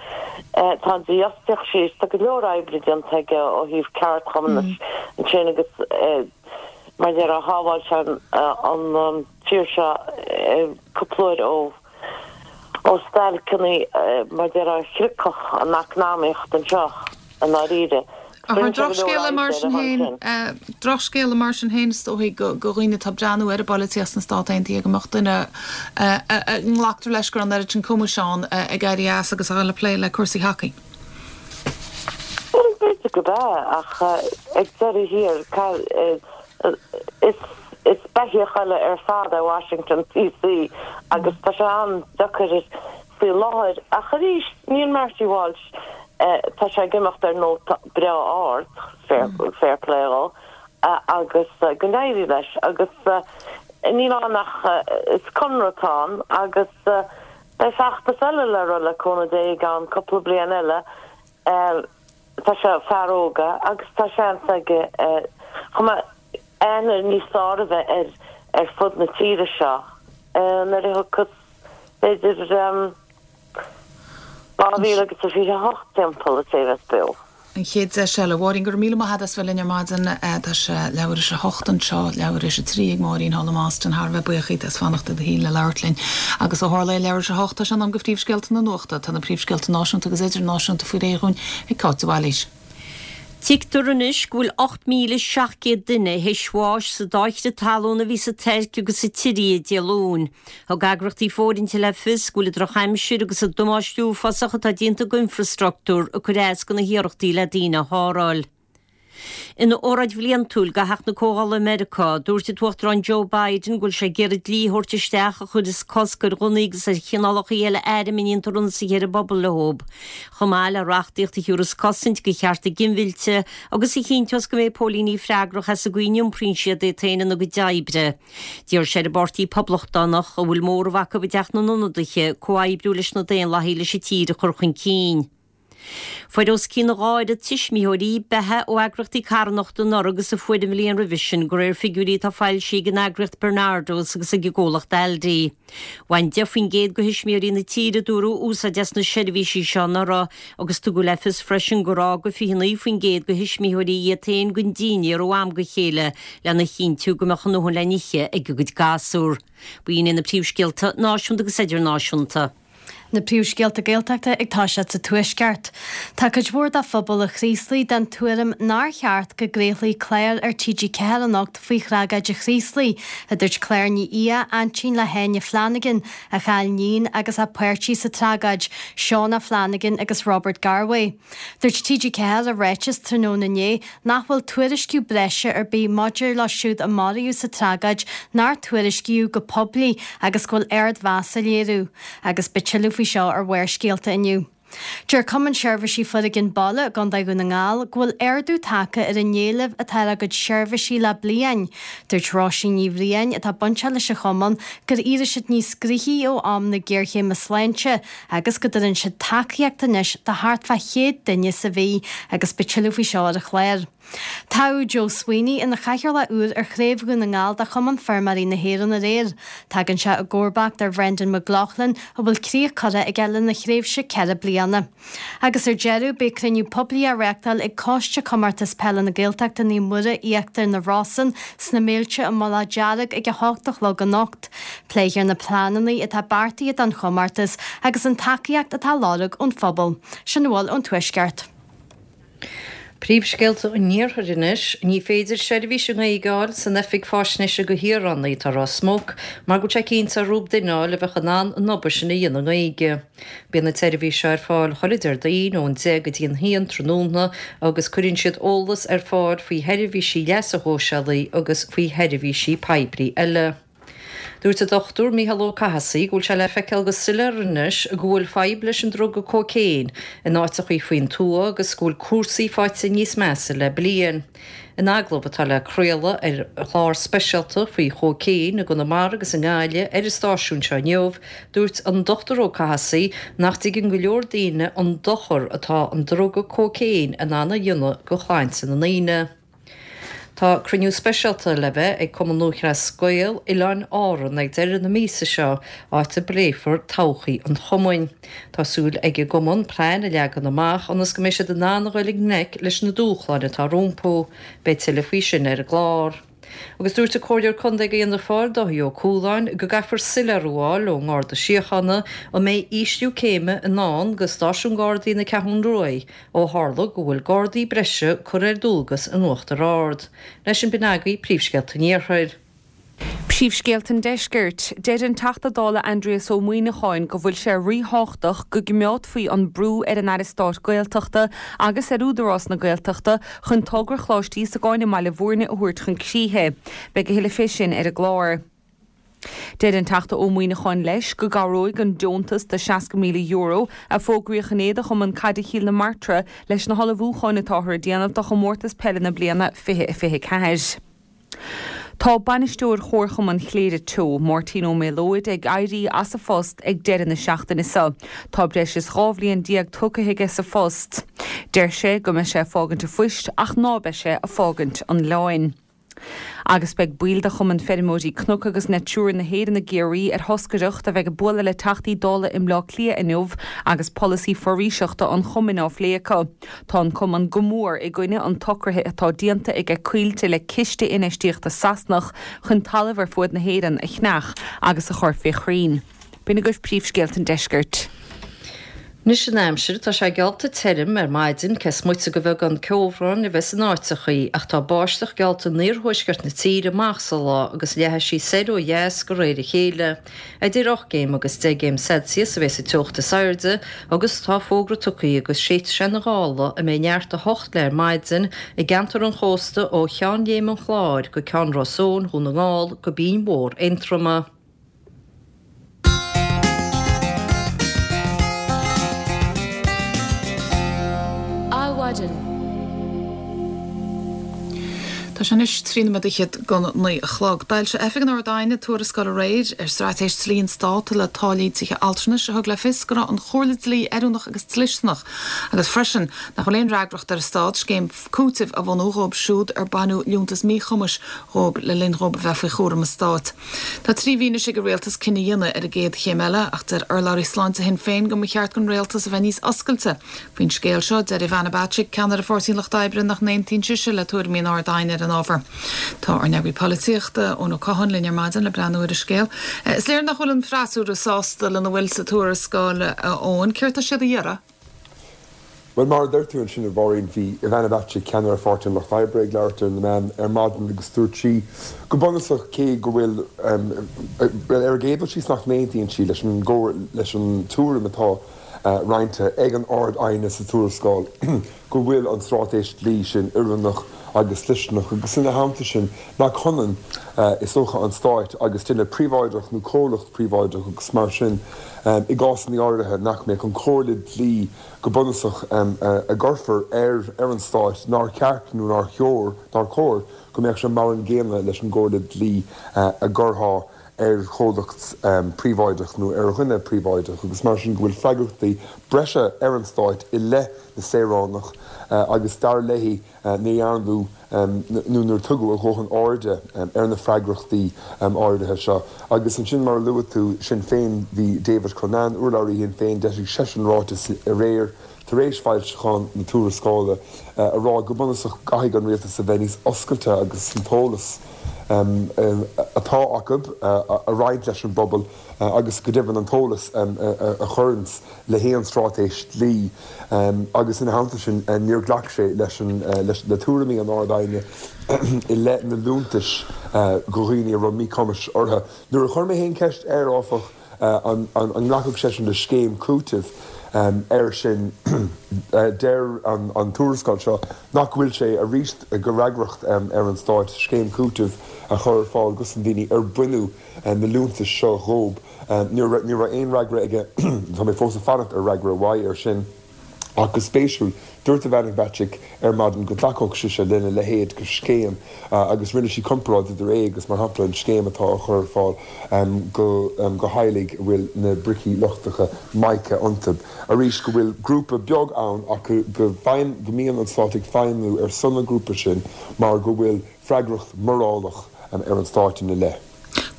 tá an dífhostaíocht síos, tá go leor oibre déanta aige ó thaobh ceardchumann ansin agus mar a déarfá shábháil sé an tír seo cúpla uair ó ó stailceanna mar a déarfá a shroichfeadh an eacnamaíocht anseo i ndáiríre. Ach an drochscéala mar sin féin, drochscéala mar sin féin is dóigh do dhaoine atá ag breathnú ar an bpolaitíocht sna Stáit Aontaithe go mbeadh duine a nglactar leis go raibh an oiread sin cumais ann ag éirí as agus a dhul ag plé le cúrsaí thacaí. Bhuel, b'fhéidir gurb ea, ach ag deireadh thiar, is is beithíoch eile ar fad é Washington DC agus tá sé an-deacair faoi láthair. Ach arís, níl Marty Walsh, tá sé ag imeacht ar nóta breá ard, fair play dhó, agus go n-éirí leis. Agus níl ann ach, is conradh atá ann agus beidh feachtas eile le rith le cúnamh Dé i gceann cúpla bliain eile. Tá sé fear óg agus tá seans aige chomh maith aithne níos fearr a bheith air ar fud na tíre seo nuair a thiocfas b'fhéidir dhá mhíle agus a fiche a hocht timpeall is é a bheas beo. An chéad deis eile. A Mháirín, go raibh míle maith agat as bheith linn ar maidin. Tá sé leathuair théis a hocht anseo, leathuair théis a trí ag Máirín thall i mBoston. Thar a bheith buíoch díot as fanacht i do shuí le labhairt linn. Agus ó tharla é leathuair théis a hocht, tá sé in am do phríomhscéalta na nuachta. Tá na príomhscéalta náisiúnta agus idirnáisiúnta faoi réir dhúinn ag Cáit de Bhailís. Tuigtear anois go bhfuil ocht míle seacht gcéad duine théis bháis sa dá chrith talún a bhí sa Tuirc agus sa tSiria Dé Luain. Thug eagraíochtaí fóirithinte le fios go bhfuil an drochaimsir agus an damáiste uafásach atá déanta d'infreastruchtúr ag cur as do na hiarrachtaí le daoine a tharrtháil. Ina óráid bhliantúil do Theach na Comhdhála i Meiriceá, dúirt an tUachtarán Joe Biden go bhfuil sé ag iarraidh dlí a thabhairt isteach a chuirfeas cosc ar ghunnaí agus ar chineálacha eile airm a ndéantar ionsaithe ar an bpobal leo, chomh maith le reachtaíocht a thabharfas cosaint do chearta ginmhillte agus a chinnteos go mbeidh póilíní freagrach as an gcaoi a n-iompraíonn siad iad féin ina gcuid oibre. D'iarr sé ar an bPáirtí Poblachtánach, a bhfuil móramh acu i dTeach na nIonadaithe, comhoibriú leis na Daonlathaigh leis an tír a chur chun cinn. Fuair os cionn a dhá oiread tuismitheoirí beatha ó eagraíochtaí carthanachta anuraidh agus a fuair an bhliain roimhe sin, de réir figiúirí atá foilsithe ag an eagraíocht Barnardo's agus ag an gcomhlacht Aldi. Bhain deich faoin gcéad de thuismitheoirí na tíre, a dúradh, úsáid as na seirbhísí seo anuraidh agus tugadh le fios freisin gur fhága fiche naoi faoin gcéad de thuismitheoirí iad féin gan dinnéar ó am go chéile lena chinntiú go mbeadh a ndóthain le n-ithe ag a gcuid gasúr. B'in iad na príomhscéalta náisiúnta agus idirnáisiúnta. Na príomhscéalta Gaeltachta ag toiseacht sa Tuaisceart. Tá cuid mhór de phobal an Chraoslaigh den tuairim nár cheart go gcraolfaí clár ar T G ceathair anocht faoi thragóid an Chraoslaigh, a dúirt Claire Ní Aodha, aintín le hÁine Flanagan, a chaill níon agus a páirtí sa tragóid, Seán Flanagan agus Robert Garwe. Dúirt T G ceathair i ráiteas tráthnóna inné nach bhfuil tuairisciú breise ar bith maidir leo siúd a maraíodh sa tragóid nár tuairiscíodh go poiblí agus go bhfuil ardmheas á léiriú agus beidh tuilleadh faoi seo ar Bharrscéalta inniu. Deir Cumann Seirbhísí Foréigin Baile i gContae Dhún na nGall go bhfuil ardú tagtha ar an éileamh atá ar a gcuid seirbhísí le bliain. Dúirt Róisín Ní Bhriain, atá bainteach leis an chumann, gur éirigh siad níos gnoithí ó am na géarchéime sláinte agus go dtugann siad tacaíocht anois do thart fá chéad duine sa mhí agus beidh tuilleadh faoi seo ar an chlár. Toghadh Joe Sweeney ina chathaoirleach úr ar Chraobh Dhún na nGall de Chumann Feirmeoirí na hÉireann aréir. Tagann sé i gcomharbacht ar Bhrendan McLaughlin a bhfuil críoch curtha aige lena thréimhse ceithre bliana. Agus ar deireadh, beidh cruinniú poiblí á reáchtáil ag Coiste Comórtas Peile na Gaeltachta Naomh Muire Íochtar na Rosann sna Méilte i Mullach Dearg ag a hocht a chlog anocht. Pléifear na pleananna atá beartaithe don chomórtas agus an tacaíocht atá á lorg ón phobal. Sin a bhfuil ón Tuaisceart. Príomhscéalta an Iarthair anois, Ní féidir seirbhís i nGaeilge a fháil san Oifig Faisnéise do Shaoránaigh atá i Ros Muc mar go bhfuil sé cinnte orthu duine a fháil a bheadh in ann an obair sin a dhéanamh i nGaeilge. Bíonn an tseirbhís seo ar fáil chuile Déardaoin ón deich go dtí an haon tráthnóna agus cuireann siad eolas ar fáil faoi sheirbhísí leasa shóisialaigh agus faoi sheirbhísí poiblí eile. Dúirt an Dochtúir Mícheál Ó Cathasaigh go bhfuil sé le feiceáil go soiléir anois go bhfuil fadhb leis an druga cócaon in áiteachaí faoin tuath agus go bhfuil cúrsaí faighte níos measa le bliain. In agallamh atá le craoladh ar chlár speisialta faoi chócaon i gConamara agus i nGaillimh ar an stáisiún seo inniu, dúirt an Dochtúir Ó Cathasaigh nach dtuigeann go leor daoine an dochar atá an druga cócaon in ann a dhéanamh go shláinte na ndaoine. Tá cruinniú speisialta le bheith ag Cumann Lúthchleas Gael Oileáin Árann ag deireadh na míosa seo, áit a bpléifear todhchaí an chumainn. Tá súil ag an gcumann plean a leagan amach ionas go mbeidh siad in ann a ghoil i ngleic leis na dúshláin atá rompu. Beidh tuilleadh faoi sin ar an gclár. Agus dúirt an Comhairleoir Contae do Fhianna Fáil, Dáithí Ó Cualáin, go gcaithfear soiléiriú a fháil ón nGarda Síochána an mbeidh ísliú céime i ndán do stáisiún Gardaí na Ceathrún Rua ó tharla go bhfuil Gardaí breise curtha ar dualgas in Uachtar Ard. Leis sin b'in agaibh príomhscéalta an Iarthair. Príomhscéalta an Deiscirt. Deir an Teachta Dála Aindrias Ó Muimhneacháin go bhfuil sé ríthábhachtach go gcoimeádfaí an brú ar an Aire Stáit Gaeltachta agus ar Údarás na Gaeltachta chun togra Choláiste Íosagáin i mBaile Bhúirne a thabhairt chun críche. Beidh a thuilleadh fé sin ar an gclár. Deir an Teachta Ó Muimhneacháin leis go gcabhróidh an deontas de seasca míle euro a fógraíodh inné do Chumann Caide Chill na Martra leis na hullmhúcháin atáthar a dhéanamh do chomórtas peile na bliana fiche a fiche ceathair. Tá bainisteoir Chomharchumann Chléire Teo, Máirtín Ó Méalóid, ag éirí as a phost ag deireadh na seachtaine seo. Tá breis is dhá bhliain déag tugtha aige sa phost. Deir sé go mbeidh sé ag fágaint a phoist ach ná beidh sé ag fágaint an oileáin. Agus beidh baill de Chumann Feirmeoirí Cnoc agus Natura na hÉireann i gCiarraí ar thoscaireacht a bheidh ag bualadh le Teachtaí Dála i mBleá Cliath inniu agus polasaí foraoiseachta an chumainn á phlé acu. Tá an cumann go mór i gcoinne an tsocraithe atá déanta aige Coillte le ciste infheistíochta Sasanach chun talamh ar fuaid na hÉireann a cheannach agus a chur fé chrainn. B'in agaibh príomhscéalta an deiscirt. Anois an aimsir, tá sé geallta tirim ar maidin, cé is moite de bheagán ceobhráin a bheith in áiteachaí, ach tá báisteach geallta in iarthuaisceart na tíre amach sa lá agus leathfaidh sí soir ó dheas de réir a chéile. Idir ocht gcéim agus deich gcéim Celsius a bheas an teocht is airde agus tá fógra tugtha go séidfidh sé na gála a mbeidh neart a hocht léi ar maidin i gceantar an chósta ó Cheann Léim an Chláir go Ceann Ros Eoin, Dhún na nGall go Binn Mhór Aontroma. Adhmhaidin. Tá sé anois trí nóiméad fhichead go naoi a chlog. D'fhoilsigh Oifig an Ard-Aighne tuarascáil aréir ar straitéis dlí an Stáit le táillí tithe altranais a thug le fios go raibh an chomhairle dlí oiriúnach agus dlisteanach agus freisin nach bhfuil aon fhreagracht ar an Stát scéim cúitimh a bhunú dhóibh siúd ar baineadh liúntas míchumais dhóibh le linn dhóibh a bheith faoi chúram an Stáit. Tá trí mhí anois ag an Rialtas cinneadh a dhéanamh ar an gcéad chéim eile ach deir urlabhraí sláinte Shinn Féin go mba cheart don Rialtas a bheith níos oscailte faoin scéal seo. Deir Ivana Bacik, ceannaire Pháirtí an Lucht Oibre, nach n-aontaíonn sise le tuairimí an Ard-Aighne ar an ábhar. Tá ár n-eagraí polaitíochta, Eoin Ó Catháin, linn ar maidin le breathnú ar an scéal. Is léir nach bhfuil an freasúra sásta lena bhfuil sa tuarascáil, Eoin. Céard tá siad a iarraidh? Bhuel, mar a deir tú ansin, a Mháirín, bhí Ivana Bacik, ceannaire Pháirtí an Lucht Oibre, ag labhairt ar na meáin ar maidin agus dúirt sí go bunúsach cé go bhfuil, bhuel, ar an gcéad dul síos nach n-aontaíonn sí leis an leis an tuairim atá roinnte ag an Ard-Aighne sa tuarascáil go bhfuil an straitéis dlí sin oiriúnach agus dlisteanach agus ina theannta sin nach hionann is dócha an Stáit agus duine príobháideach nó comhlacht príobháideach agus mar sin i gcásanna áirithe nach mbeadh an chomhairle dlí go bunúsach a gcuirfear ar ar an Stáit nár cheart nó nár chóir nár chóir go mbeadh sé mar an gcéanna leis an gcomhairle dlí a gcuirfeá ar chomhlacht príobháideach nó ar dhuine príobháideach agus mar sin go bhfuil freagrachtaí breise ar an Stáit i leith na saoránach agus dar léi ní dhearnadh nó níor tugadh a dhóthain airde ar na freagrachtaí áirithe seo. Agus ansin mar a luaigh tú, Sinn Féin, bhí David Cullinane, urlabhraí Shinn Féin, d'eisigh seisean ráiteas aréir tar éis foilseachán na tuarascála a rá go bunúsach caithfidh an rialtas a bheith níos oscailte agus an t-eolas atá acu a roinnt leis an bpobal agus go deimhin an t-eolas a chuireanns le haon straitéis dlí agus ina theannta sin níor ghlac sé leis an le tuairimí an Ard-Aighne i leith na liúntais do dhaoine a raibh míchumais orthu. Nuair a chuir mé féin ceist air, áfach, an nglacfadh seisean le scéim cúitimh air sin, deir an tuarascáil seo nach bhfuil sé arís de fhreagracht ar an Stát scéim cúitimh a chur ar fáil dos na daoine ar baineadh na liúntais seo dhóibh. Ní raibh aon fhreagra aige, tá mé fós ag fanacht ar fhreagra uaidh air sin. Ach go spéisiúil, dúirt Ivana Bacik ar maidin go dtacódh sise lena leithéid de scéim agus rinne sí comparáid idir é agus, mar shampla, an scéim atá á chur ar fáil do theaghlaigh a bhfuil na bricí lochtacha mica iontu. Arís, go bhfuil grúpa beag ann ach go mbíonn an stát ag feidhmiú ar son an ghrúpa sin mar go bhfuil freagracht mhorálach ar an stát ina leith.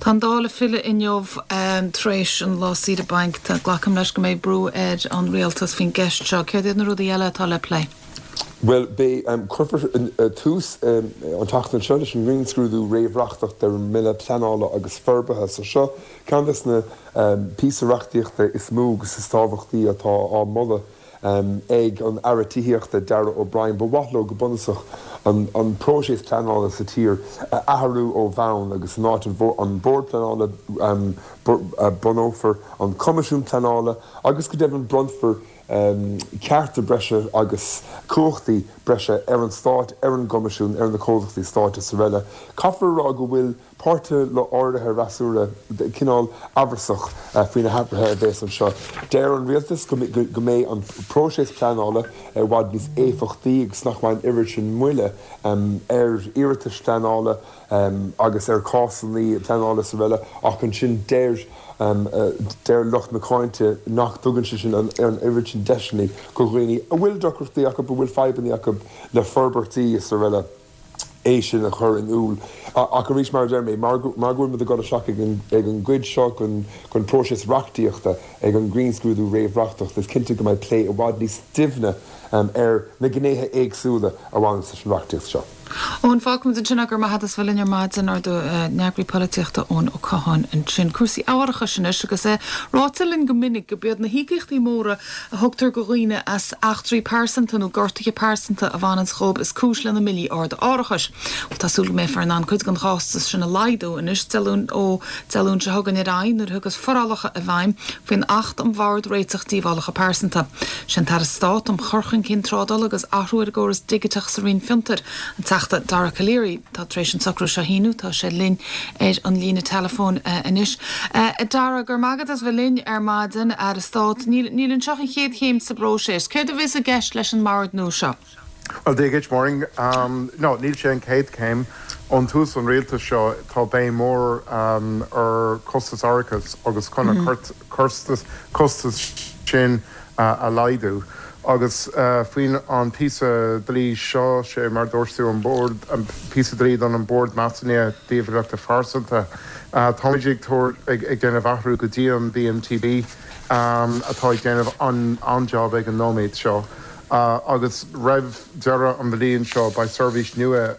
Tá an Dáil ag filleadh inniu tar éis an lá saoire bainc. Glacaim leis go mbeidh brú ar an rialtas faoin gceist seo. Céard iad na rudaí eile atá le plé? Bhuel, beidh, cuirfear tús an tseachtain seo leis an ngrinnscrúdú réamhreachtach ar an mBille Pleanála agus Forbartha. So seo ceann des na píosa reachtaíochta is mó agus is tábhachtaí atá á moladh ag an Aire Tithíochta, Darragh O'Brien. Ba mhaith leo go bunúsach an próiseas pleanála sa tír a athrú ó bhonn agus in áit an Bord Pleanála bunófar an Coimisiún Pleanála agus go deimhin bronnfar cearta breise agus cumhachtaí breise ar an Stát, ar an gCoimisiún, ar na comhlachtaí stáit is araile. Caithfear a rá go bhfuil páirtithe áirithe freasúra cineál amhrasach faoi na hathruithe a bheas anseo. Deir an rialtas go mbeidh an próiseas pleanála i bhfad níos éifeachtaí agus nach mbeidh an oiread sin moille ar iarratais phleanála agus ar chásanna pleanála is araile ach ansin deir deir lucht na cáinte nach dtugann sé sin an oiread sin deiseanna do dhaoine a bhfuil deacrachtaí acu, a bhfuil fadhbanna acu le forbairtí is araile. é sin a chur in iúl. Ach arís, mar a deir mé, mar go bhfuil muid ag dul isteach ag an gcuid seo den phróiseas reachtaíochta, ag an ngrinnscrúdú réamhreachtach, is cinnte go mbeidh plé i bhfad níos doimhne ar na gnéithe éagsúla a bhaineann leis an reachtaíocht seo. Eoin, fágfaimid ansin é, go raibh maith agat as bheith linn ar maidin, ár n-eagraí polaitíochta Eoin Ó Catháin ansin. Cúrsaí árachais anois agus é ráite linn go minic go b'iad na híocaíochtaí móra a thugtar go dhaoine as eachtraí pearsanta nó gortuithe pearsanta a bhaineanns dhóibh is cúis lena mbillí arda árachais. Bhuel tá súil go mbeifear in ann cuid den chostas sin a laghdú anois Dé Luain ó Dé Luain seo chugainn ar aghaidh nuair a thiocfas forálacha i bhfeidhm faoin Acht um Bhord Réiteach Díobhálacha Pearsanta. Sé an tAire Stáit um Chur Chun Cinn Trádála agus Athrú ar an gCóras Digiteach sa Roinn Fiontair, an Teachta Dara Calleary, atá tar éis an socrú seo a shíniú. Tá sé linn ar an líne teileafóin anois. A Dara, go raibh maith agat as bheith linn ar maidin, Aire Stáit. Níl níl anseo ach an chéad chéim sa bpróiseas. Céard a bheas i gceist leis an mbord nua seo? Bhuel, Dia dhuit, Maureen. No, níl sé an chéad chéim. Ón tús an rialtas seo tá béim mór ar costas árachais agus chun an costas costas sin a laghdú. Agus faoin an píosa dlí seo, sé mar dúirt tú an bord, an píosa dlí don an Bord Measúnaithe Díobhálacha Phearsanta, táimid ag tabhairt, ag déanamh athrú go dtí an BMTB atá ag déanamh an-job ag an nóiméad seo. Agus roimh deireadh an bhliain seo beidh seirbhís nua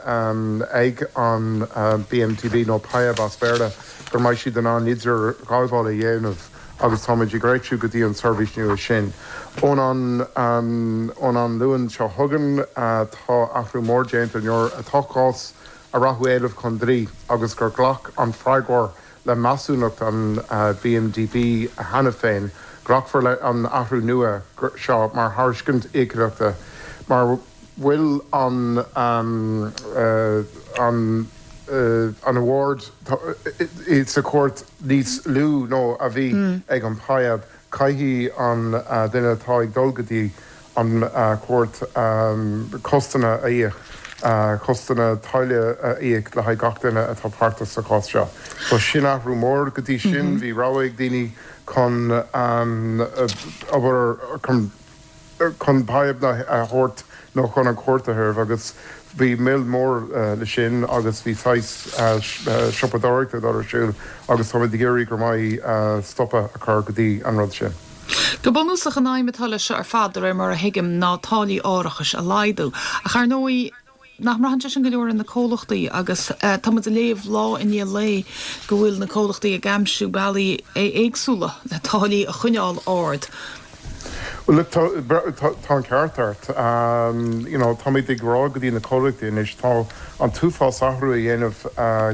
ag an BMTB, nó PIAB as Béarla, go mbeidh siad in ann idirghabháil a dhéanamh agus táimid ag réitiú go dtí an tseirbhís nua sin. Ón an ón an Luan seo chugainn tá athrú mór déanta nuair atá cás a rachadh éileamh chun dlí agus gur ghlac an freagróir le measúnacht an BMDB cheana féin, glacfar le an athrú nua seo mar thairiscint íocaíochta mar bhfuil an an an award sa chúirt níos lú ná a bhí ag an PIAB. Caithfidh an duine atá ag dul go dtí an chúirt costanna a íoc, costanna táille a íoc le haghaidh gach duine atá páirteach sa chás seo. So sin athrú mór. Go dtí sin bhí rogha ag daoine chun obair chun chun PIAB a thabhairt nó chun an chúirt a thabhairt agus bhí moill mór le sin agus bhí saghas siopadóireachta ag dul ar siúl agus táimid ag iarraidh go mbeidh stopadh a chur go dtí an rud sin. Go bunúsach an aidhm atá leis seo ar fad, de réir mar a thuigim, ná táillí árachais a laghdú. Ach ar ndóigh, nach mbraitheann sé sin go leor ar na comhlachtaí agus tá muid ag léamh lá i ndiaidh lae go bhfuil na comhlachtaí ag aimsiú bealaí éagsúla le táillí a choinneáil ard. Well look, tá tá an ceart ort. You know, táimid ag rá go dtí na comhlachtaí anois, tá an t-uafás athrú a dhéanamh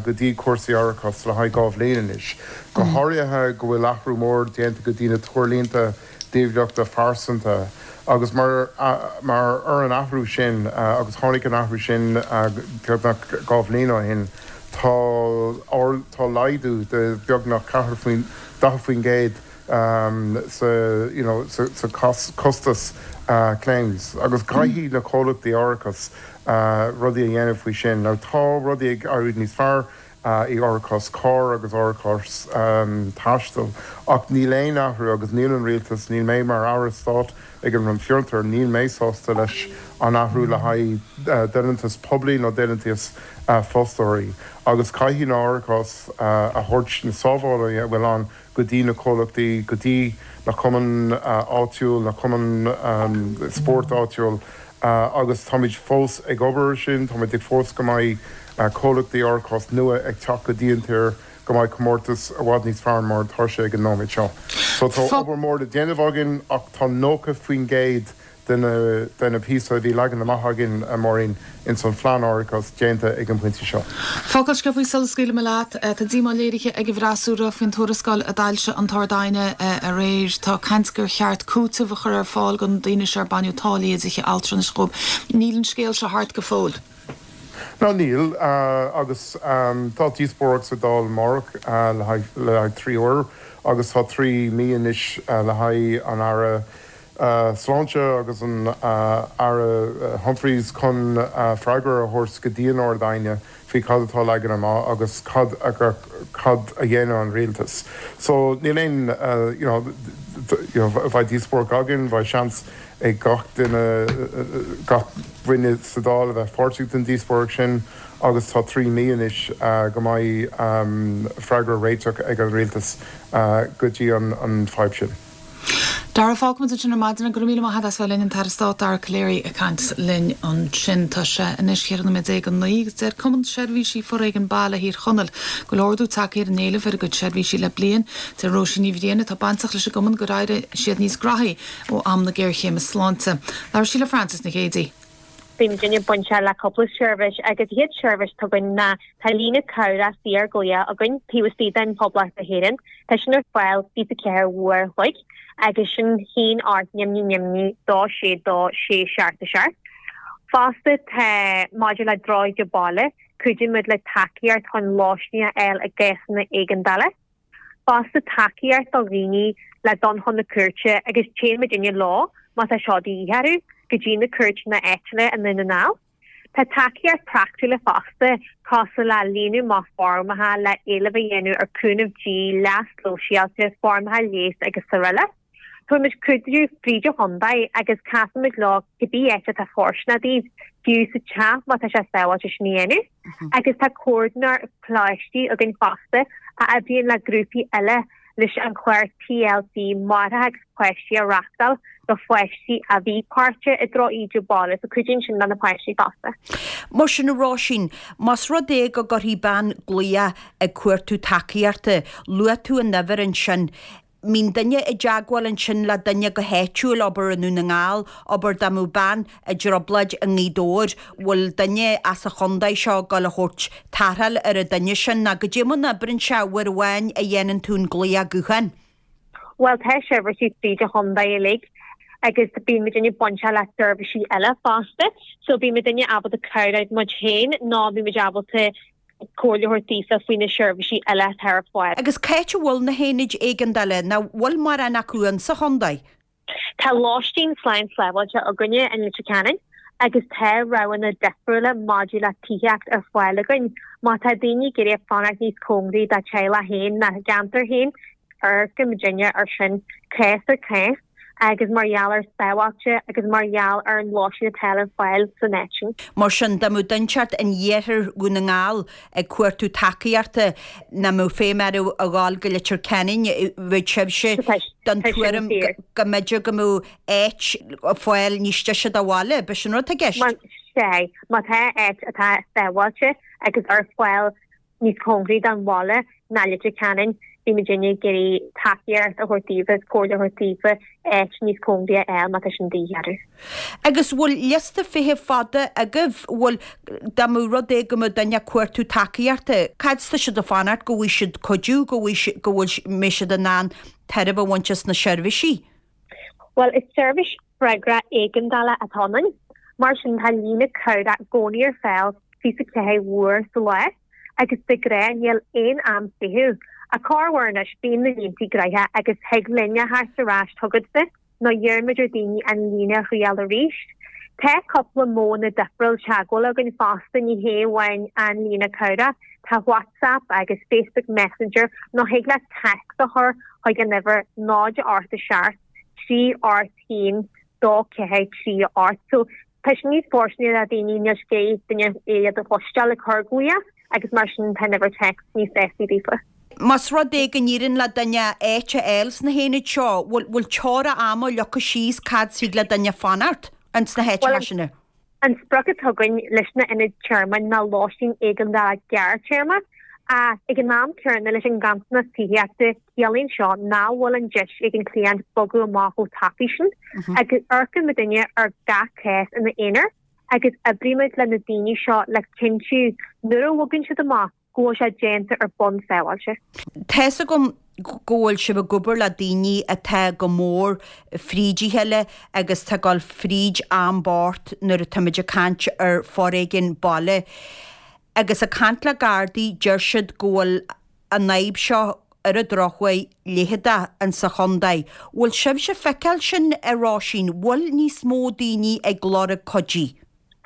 go dtí cúrsaí árachais le haghaidh dhá bhliain anois. Go háirithe go bhfuil athrú mór déanta go dtí na treoirlínte díobhálacha phearsanta agus mar mar ar an athrú sin agus tháinig an athrú sin beagnach dhá bhliain ó shin, tá tá laghdú de beagnach ceathair faoin daichead faoin gcéad sa you know sa sa costas claims agus caithfidh na comhlachtaí árachais rudaí a dhéanamh faoi sin. Now tá rudaí ag éirí níos fearr i árachas carr agus árachas taistil ach níl aon athrú agus níl an rialtas, níl mé mar Aire Stáit ag an Roinn Fiontar, níl mé sásta leis an athrú le haghaidh deontas poiblí nó deontas fostóirí agus caithfidh na árachas a thabhairt na sábhálaí a bhfuil ann go dtí na comhlachtaí, go dtí na cumainn áitiúil, na cumainn spóirt áitiúil agus táimid fós ag obair ar sin, táimid ag fós go mbeidh comhlachtaí árachais nua ag teacht go dtí an tír, go mbeidh comórtas i bhfad níos fearr mar atá sé ag an nóiméad seo. So tá obair mór le déanamh againn ach tá nócha faoin gcéad de na de na píosa a bhí leagan amach againn, a Mháirín, ins an phlean árachais déanta ag an bpointe seo. Focal sciobtha sula scaoilfidh mé leat. Tá díomá léirithe ag an bhfreasúra faoin tuarascáil a d'fhoilsigh an tArd-Aighne aréir. Tá caint gur cheart cúiteamh a chur ar fáil do na daoine seo ar baineadh táillí i dtithe altranais dhóibh. Níl an scéal seo thart go fóill. Ná níl, agus tá díospóireacht sa Dáil amárach le haghaidh trí uair agus tá trí mí anois le haghaidh an Aire Sláinte agus an Aire Humphreys chun freagra a thabhairt go dtí an Ard-Aighne faoi cad atá leagan amach agus cad a cad a dhéanfaidh an rialtas. So níl aon you know you know bheidh díospóireacht againn, bheidh seans ag gach duine gach duine sa Dáil a bheith páirteach den díospóireacht sin agus tá trí mí anois go mbeidh freagra réiteach ag an rialtas go dtí an an fadhb sin. Dara, fágfaimid ansin ar maidin. Go raibh míle maith agat as bheith linn, an tAire Stáit Dara Calleary ag caint linn ansin. Tá sé anois ceithre nóiméad déag go naoi agus deir Cumann Seirbhísí Foréigin Baile Thír Chonaill go bhfuil ardú tagtha ar an éileamh ar a gcuid seirbhísí le bliain. Deir Róisín Ní Bhriain atá bainteach leis an gcumann gur éirigh siad níos graithí ó am na géarchéime sláinte. Labhair sí le Frances Nic Géadaigh. Bíonn muidinne bainteach le cúpla seirbhís agus an chéad seirbhís atá againn ná tá líne cabhrach saorghlaoch againn taobh istigh den Phoblacht na hÉireann. Tá sin ar fáil fiche ceathair uair a chloig agus sin haon ocht neamhní neamhní dó sé dó sé seacht a seacht. Fosta tá maidir le drochíde baile, cuidíonn muid le tacaíocht chun lóistín a fháil i gcásanna éigeandála. Fosta tacaíocht do dhaoine le dul chun na cúirte agus téann muidinne leo má tá seo de dhíth orthu go dtí na cúirteanna áitiúla i nDún na nGall. Tá tacaíocht praiticiúil fosta cosúil le líonadh amach foirmeacha le éileamh a dhéanamh ar chúnamh dlí, leas sóisialta, foirmeacha leighis agus araile. Tugaimid cuidiú fríd an chontae agus casaimid leo cibé áit atá fóirsteanach daoibh, fiú sa teach má tá sé sábháilte sin a dhéanamh. Agus tá comhordaitheoir coláistí againn fosta a oibríonn le grúpaí eile leis an chlár TLC Máithreacha agus Páistí a reáchtáil do pháistí a bhí páirteach i drochíde baile, so cuidíonn sin le na páistí fosta. Mar sin, a Róisín, más rud é go gcuirfidh bean glaoch ag cuartú tacaíochta, luaigh tú an uimhir ansin, mbíonn duine i dteagmháil ansin le duine go háitiúil, abair i nDún na nGall, abair dá mbeadh bean i dtrioblóid i nGaoth Dobhair, bhfuil duine as an chontae seo ag dul a thabhairt tarrtháil ar an duine sin, nó goidé mar a oibríonn sé uair amháin a dhéanann tú an glaoch gutháin? Bhuel tá seirbhísí fríd an chontae uilig agus bíonn muidinne bainteach le seirbhísí eile fosta so bíonn muidinne ábalta cabhrú muid féin nó bíonn muid ábalta comhairle a thabhairt daofa faoi na seirbhísí eile atá ar fáil. Agus c'áit a bhfuil na haonaid éigeandála, ná bhfuil mórán acu in sa chontae? Tá lóistín slán sábháilte againne in Leitir Ceanainn agus tá roghanna difriúla maidir le tithíocht ar fáil againn. Má tá daoine ag iarraidh fanacht níos cóngaraí dá teaghlach féin ná a gceantar féin, amharcann muidinne ar sin cás ar chás agus mar gheall ar sábháilte agus mar gheall ar an lóistín atá ar fáil san áit sin. Mar sin, dá mbeadh duinteacht in iarthar Dhún na nGall ag cuartú tacaíochta, nach mbeadh feidhm orthu a ghabháil go Leitir Ceanainn, bheadh sibhse den tuairim go mb'fhéidir go mbeadh áit ar fáil níos deise do bhaile, b'shin an rud atá i gceist? Sea, má tá áit atá sábháilte agus ar fáil níos cóngaraí don bhaile ná Leitir Ceanainn, bhí muidinne ag iarraidh tacaíocht a thabhairt daofa agus comhairle a thabhairt daofa áit níos cóngaraí a fháil má tá sin de dhíth orthu. Agus bhfuil liosta feithimh fada agaibh? Bhfuil, dá mbeadh rud é go mbeadh duine ag cuartú tacaíochta, cad tá siad ag fanacht go bhfaighidh siad cuidiú, go bhfaighidh, go bhfuil, mbeidh siad in ann tairbhe a bhaint as na seirbhísí? Bhuel, is seirbhís freagra éigeandála atá ionainn. Mar sin tá líne cabhrach i gcónaí ar fáil fiche ceathair uair sa lá. agus de ghnáth níl aon am feithimh. Ach corruair anois bíonn na línte gnoitheach agus thig linn a theacht ar ais chugatsa nó iarraimid ar daoine an líne a thriail arís. Tá cúpla modhanna difriúil teagmhála againn fosta, ní hé amháin an líne cabhrach, tá WhatsApp agus Facebook Messenger nó thig leat text a chur chuig an uimhir náid ocht a seacht trí ocht haon dó ceathair trí ocht. So tá sé níos fóirsteanaí do daoine níl sé duine iad a chloisteáil ag cur glaoch agus mar sin tá an uimhir text níos éascaí daofa. Más rud é go n-éiríonn le duine áit a fháil sna haonaid seo, bhfuil bhfuil teora ama leagtha síos cad thig le duine fanacht ins na háiteanna sin? An sprioc atá againn leis na hionaid tearmainn ná lóistín éigeandála gearrthéarma. Ag an am céanna leis an nganntanas tithíochta, ciallaíonn seo nach bhfuil an deis ag an cliant bogadh amach chomh tapaidh sin agus amharcann muidinne ar gach cás ina aonar agus oibrímid le na daoine seo le cinntiú nuair a bhogann siad amach go bhfuil sé déanta ar bhonn sábháilte. Tá's agam go bhfuil sibh ag obair le daoine atá go mór fríd a chéile agus tá ag dul fríd am bocht nuair atáimid ag caint ar foréigean baile. Agus ag caint le Gardaí deir siad go bhfuil an fhadhb seo ar an drochuair leitheadach insa chontae. Bhfuil sibhse ag feiceáil sin a Róisín? Bhfuil níos mó daoine ag lorg cuidí?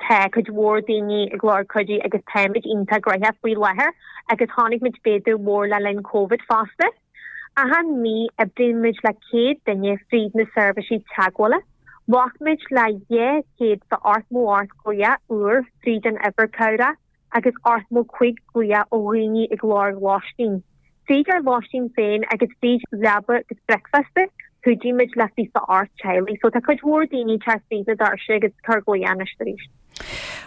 Tá cuid mhór daoine ag lorg cuidí agus táimid iontach gnóthach faoi láthair agus chonaic muid méadú mór le linn Covid fosta. Achan mí oibríonn muid le céad duine fríd na seirbhísí teagmhála. Ghlac muid le dhá chéad is ochtó ocht glaoch úr fríd an uimhir cabhrach agus ochtó cúig glaoch ó dhaoine ag lorg lóistín. Fríd ár lóistín féin agus fríd leaba agus bricfeasta, cuidímid le fiche ocht teaghlaigh. So tá cuid mhór daoine ag teacht fríd na doirse agus ag cur glaoch anois arís.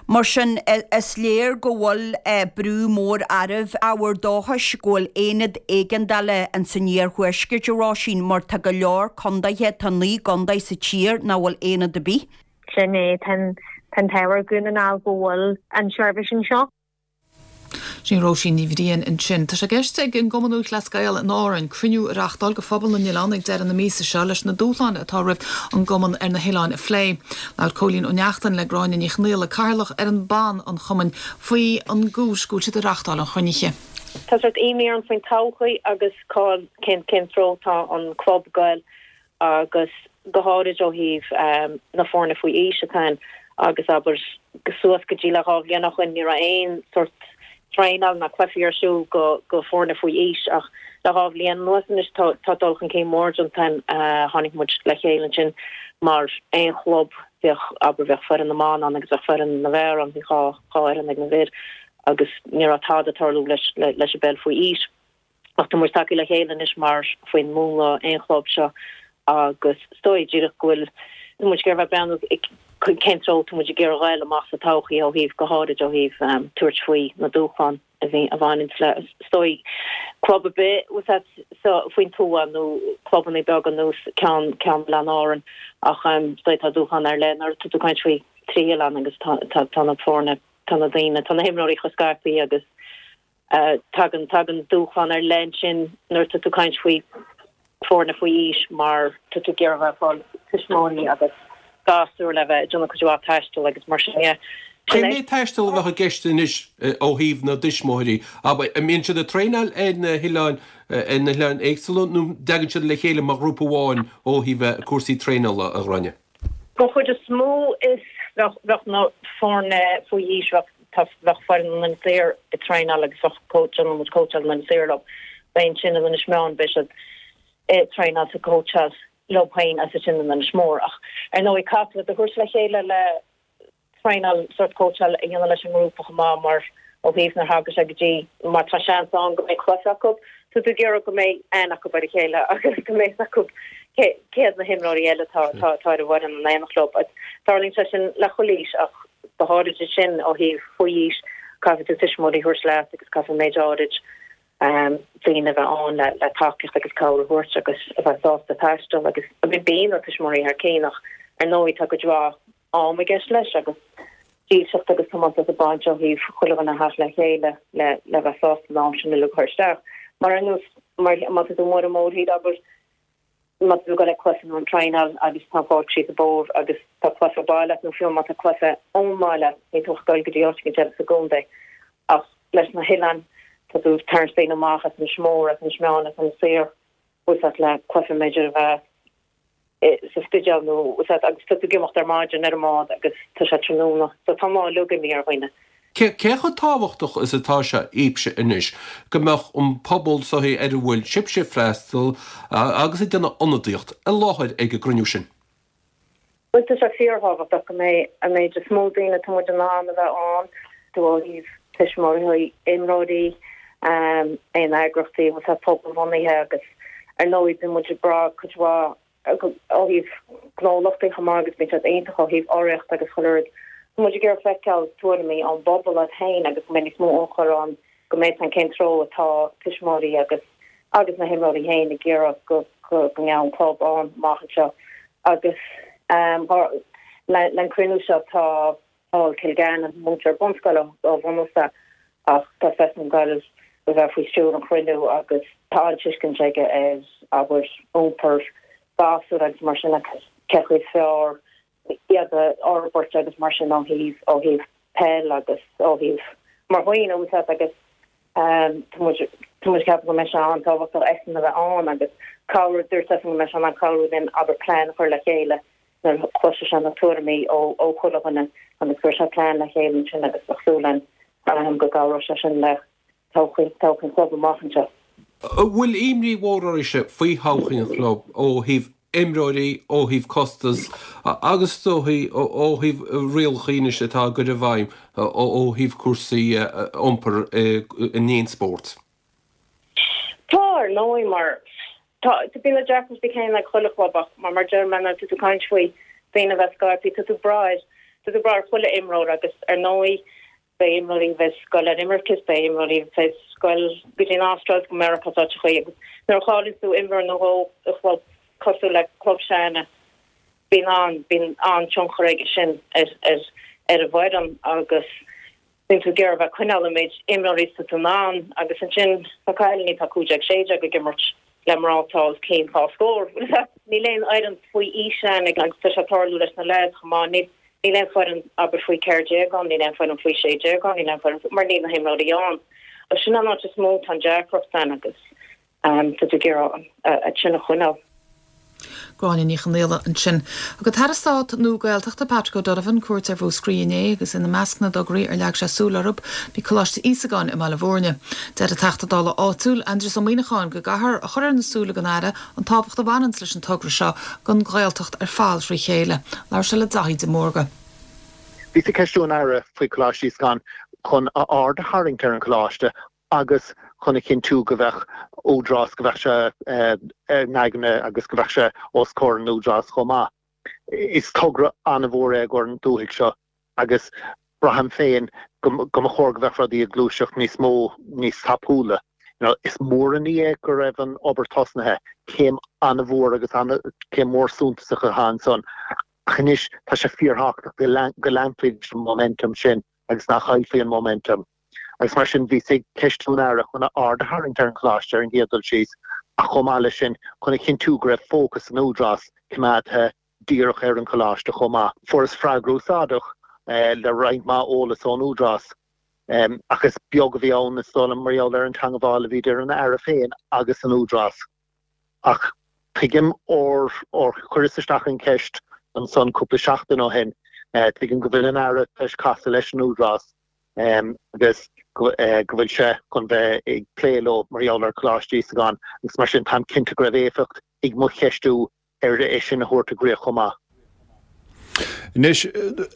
Mar sin, is léir go bhfuil brú mór oraibh. Ábhar dóchais go bhfuil aonad éigeandála ins an iarthuaisceart, a Róisín, mar tá go leor condaetha, tá naoi gcondae sa tír nach bhfuil aonad ar bith. Sin é, tá an t-ádh ar Dhún na nGall go bhfuil an tseirbhís anseo. Sin Róisín Ní Bhriain ansin. Tá sé i gceist ag an gCumann Lúthchleas Gael in Árainn cruinniú a reáchtáil do phobal na n-oileán ag deireadh na míosa seo leis na dúshláin atá roimh an gcumann ar na hoileáin a phlé. Labhair Cóilín Ó Neachtain le Gráinne Ní Chonfhaola, cathaoirleach ar an bPAN an chumainn faoi an gcúis go bhfuil siad ag reáchtáil an chruinnithe. Tá sort imní orainn faoin todhchaí agus cá cén cén treo tá an club ag goil agus go háirid ó thaobh na foirne faoi aois atá ann agus abair suas go dtí le dhá bhliain ó shin ní raibh aon sort traenáil ná cluichí ar siúl go go foirne faoi aois ach le dhá bhliain anuas anois tá tá dul chun cinn mór déanta tháinig muid le chéile ansin mar aon chlub bheadh abair bheadh foireann na mban ann agus bheadh foireann na bhfear ann bhí dhá dhá fhoireann ag na bhfir agus ní raibh tada ag tarlú leis leis an bpeil faoi aois. Ach tá muid tagtha le chéile anois mar faoin múnla aon chlub seo agus is dóigh díreach go bhfuil muid ag iarraidh bheith breathnú cén treo tá muid ag iarraidh a ghoil amach sa todhchaí ó thaobh go háirid ó thaobh tabhairt faoi na dúshláin a bhí a bhaineann le is dóigh club ar bith so faoin tuath nó clubanna beaga nó ceann ceann Oileáin Árann ach is dóigh tá dúshlán ar leith nuair atá tú ag caint faoi trí oileán agus tá tá tá na foirne tá na daoine tá na himreoirí chomh scaipthe agus Tagann tagann dúshlán ar leith ansin nuair atá tú ag caint faoi foirne faoi aois mar tá tú ag iarraidh bheith ag fáil tuismitheoirí agus gasúir le bheith ag déanamh cuid mhaith taistil agus mar sin de. Cén méid taistil a bheadh i gceist anois ó thaobh na dtuismitheoirí? An mbíonn siad ag traenáil ar na hoileáin ar na hoileáin éagsúla nó an dtagann siad le chéile mar ghrúpa amháin ó thaobh cúrsaí traenála, a Ghráinne? Don chuid is mó is bheadh bheadh na foirne faoi aois bheadh tá bheadh foireann an Inis Oírr ag traenáil agus bheadh coach déanann muid cóitseáil an Inis Oírr leo. Beidh ansin in Inis Meáin beidh siad ag traenáil is ag cóitseáil leo féin agus ansin in Inis Mór. Ach ar ndóigh caithfidh tú a thabhairt le chéile le traenáil sort cóitseáil a dhéanamh leis an ngrúpa chomh maith mar ó thaobh nuair a thagann sé go dtí má tá seans ann go mbeidh cluiche acu tá tú ag iarraidh go mbeidh aithne acu ar a chéile agus go mbeidh acu cé hiad na himreoirí eile atá atá ar an bhfoireann in éineacht leo. Tarlaíonn sé sin le chuile aois ach go háirid sin ó thaobh faoi aois caithfidh tú tuismitheoirí a thabhairt leat agus caithfidh méid áirid daoine a bheith ann le le tacaíocht agus cabhair a thabhairt agus a bheith sásta taisteal agus bíonn na tuismitheoirí thar cinn ach ar ndóigh tá cuid mhaith am i gceist leis agus dílseacht agus tiomantas ag baint ó thaobh chuile dhuine a theacht le chéile le le bheith sásta an am sin uilig a chur isteach. Mar ar nós mar má tá tú amuigh ar an mórthír abair má tá tú ag dul ag cluiche nó an traenáil agus tá an pháirc síos an bóthar agus tá cluiche baile nó fiú má tá cluiche ón mbaile ní tú ag dul go dtí áit éigin eile sa gcontae ach leis na hoileáin, tá tú ag tarraingt daoine amach as Inis Mór, as Inis Meáin, as Inis Oírr, bhfuil a fhios agat le cluiche b'fhéidir a bheith sa Spidéal nó bhfuil a fhios agat agus tá tú ag imeacht ar maidin ar an mbád agus tá sé tráthnóna. So tá an lá uilig imithe ar dhaoine. Cé chomh tábhachtach is atá sé daoibhse anois go mbeadh an pobal so ar a bhfuil sibhse ag freastal agus ag déanamh ionadaíocht i láthair ag an gcruinniú sin? Bhuel, tá sé fíorthábhachtach go mbeidh an méid is mó daoine atá muid in ann a bheith ann, ó thaobh tuismitheoirí, imreoirí, aon eagraíochtaí bhfuil a fhios agat pobalbhunaithe agus ar ndóigh bíonn muid ag brath cuid mhaith ó thaobh gnólachtaí chomh maith agus bíonn siad iontach ó thaobh urraíocht agus chuile rud. Tá muid ag iarraidh feiceáil tuairimí ón bpobal iad féin agus go mbeidh níos mó ionchur ann go mbeidh an cén treo atá tuismitheoirí agus agus na himreoirí féin ag iarraidh go go mbeadh an club ann amach anseo agus le an cruinniú seo tá Paul Kilgannon, múinteoir bunscoile ó bhunús ach tá seisean ag goil a bheith faoi stiúir an chruinniú agus tá an-tuiscint aige ar abair iompar gasúr agus mar sin agus cé chaoi is fearr iad a fhorbairt agus mar sin ó thaobh ó thaobh peil agus ó thaobh mar dhaoine bhfuil a fhios agat agus tá muid tá muid ag ceapadh go mbeidh sé an-tábhachtach eisean a bheith ann agus cabhrú dúirt seisean go mbeidh sé in ann cabhrú linn abair plean a chur le chéile nuair a chloisfidh sé na tuairimí ó ó chuile dhuine agus cuirfidh sé plean le chéile ansin agus bheadh súil againn go gcabhróidh sé sin le todhchaí todhchaí an chlub amach anseo. An bhfuil imní mhór oraibhse faoi thodhchaí an chlub ó thaobh imreoirí, ó thaobh costas agus is dóichí ó thaobh rialacha anois atá á gcur i bhfeidhm ó thaobh cúrsaí iompair in aon spórt. Tá, ar ndóigh, mar tá, bíonn na deacrachtaí céanna ag chuile chlub ach mar mar deir mé nuair atá tú ag caint faoi daoine a bheith scaipthe, tá tú ag brath ar, tá tú ag brath ar chuile imreoir agus ar ndóigh beidh imreoirí a bheas ag goil ar imirce is beidh imreoirí a bheas ag goil go dtí an Astráil is go Meiriceá is áiteachaí agus nuair a chailleann tú imreoir nó dhó i chlub cosúil le club s'againne bíonn an bíonn an-tionchar aige sin ar ar ar an bhfoireann agus bíonn tú ag iarraidh a bheith ag coinneáil an méid imreoirí is atá tú in ann agus ansin tá cailíní atá cúig déag sé déag ag imirt le mná atá os cionn dhá scór. Níl aon fhoireann faoi aois ann agus tá sé ag tarlú leis na leaids chomh maith. Níl níl aon foireann abair faoi ceathair déag ann, níl aon foireann faoi sé déag ann, níl aon foireann mar níl na himreoirí ann. Agus sin an áit is mó atá an deacracht ann agus tá tú ag iarraidh iad sin a choinneáil. Gráinne Ní Chonghaile ansin. Thug an tAire Stáit nua Gaeltachta Patrick O'Donovan cuairt ar Mhúscraí inné agus ina measc na dtograí ar leag sé súil orthu bhí Coláiste Íosagáin i mBaile Bhúirne. Deir an Teachta Dála áitiúil Aindrias Ó Muimhneacháin go gcaithfear a chur ar na súile den Aire an tábhacht a bhaineanns leis an togra seo don Ghaeltacht ar fad thrí chéile. Labhair sé le Daithí de Mórdha. Bhíos ag ceistiú an Aire faoi Choláiste Íosagáin chun a aird a tharraingt ar an choláiste agus chun a chinntiú go bheadh údarás, go bheadh sé in aigne agus go bheadh sé os comhair an údarás chomh maith. Is togra an-mhór é i gcomhair an dúthaigh seo agus braithim féin go mba chóir go bheadh rudaí ag gluaiseacht níos mó, níos tapúla. Is mór an ní é go raibh an obair tosnaithe, céim an-mhór agus céim mhór suntasach atá ansan ach anois tá sé fíorthábhachtach go leanfaí leis an momentum sin agus nach gcaillfí an momentum. Agus mar sin bhíos ag ceistiú an Aire chun a aird a tharraingt ar an choláiste ar an gcéad dul síos ach chomh maith leis sin chun a chinntiú go raibh fócas an Údarás coimeádtha díreach ar an choláiste chomh maith. Fuaireas freagra úsáideach le roinnt mhaith eolas ón Údarás ach is beag a bhí ann is dóigh liom mar gheall ar an teangmháil a bhí idir an Aire féin agus an Údarás. Ach tuigim ór chuireas isteach an cheist ansan cúpla seachtain ó shin, tuigim go bhfuil an Aire tar éis casadh leis an Údarás agus go bhfuil sé chun bheith ag plé leo mar gheall ar Choláiste Íosagáin agus mar sin táim cinnte go raibh éifeacht ag mo cheistiú ar é sin a thabhairt i gcrích chomh maith. Anois,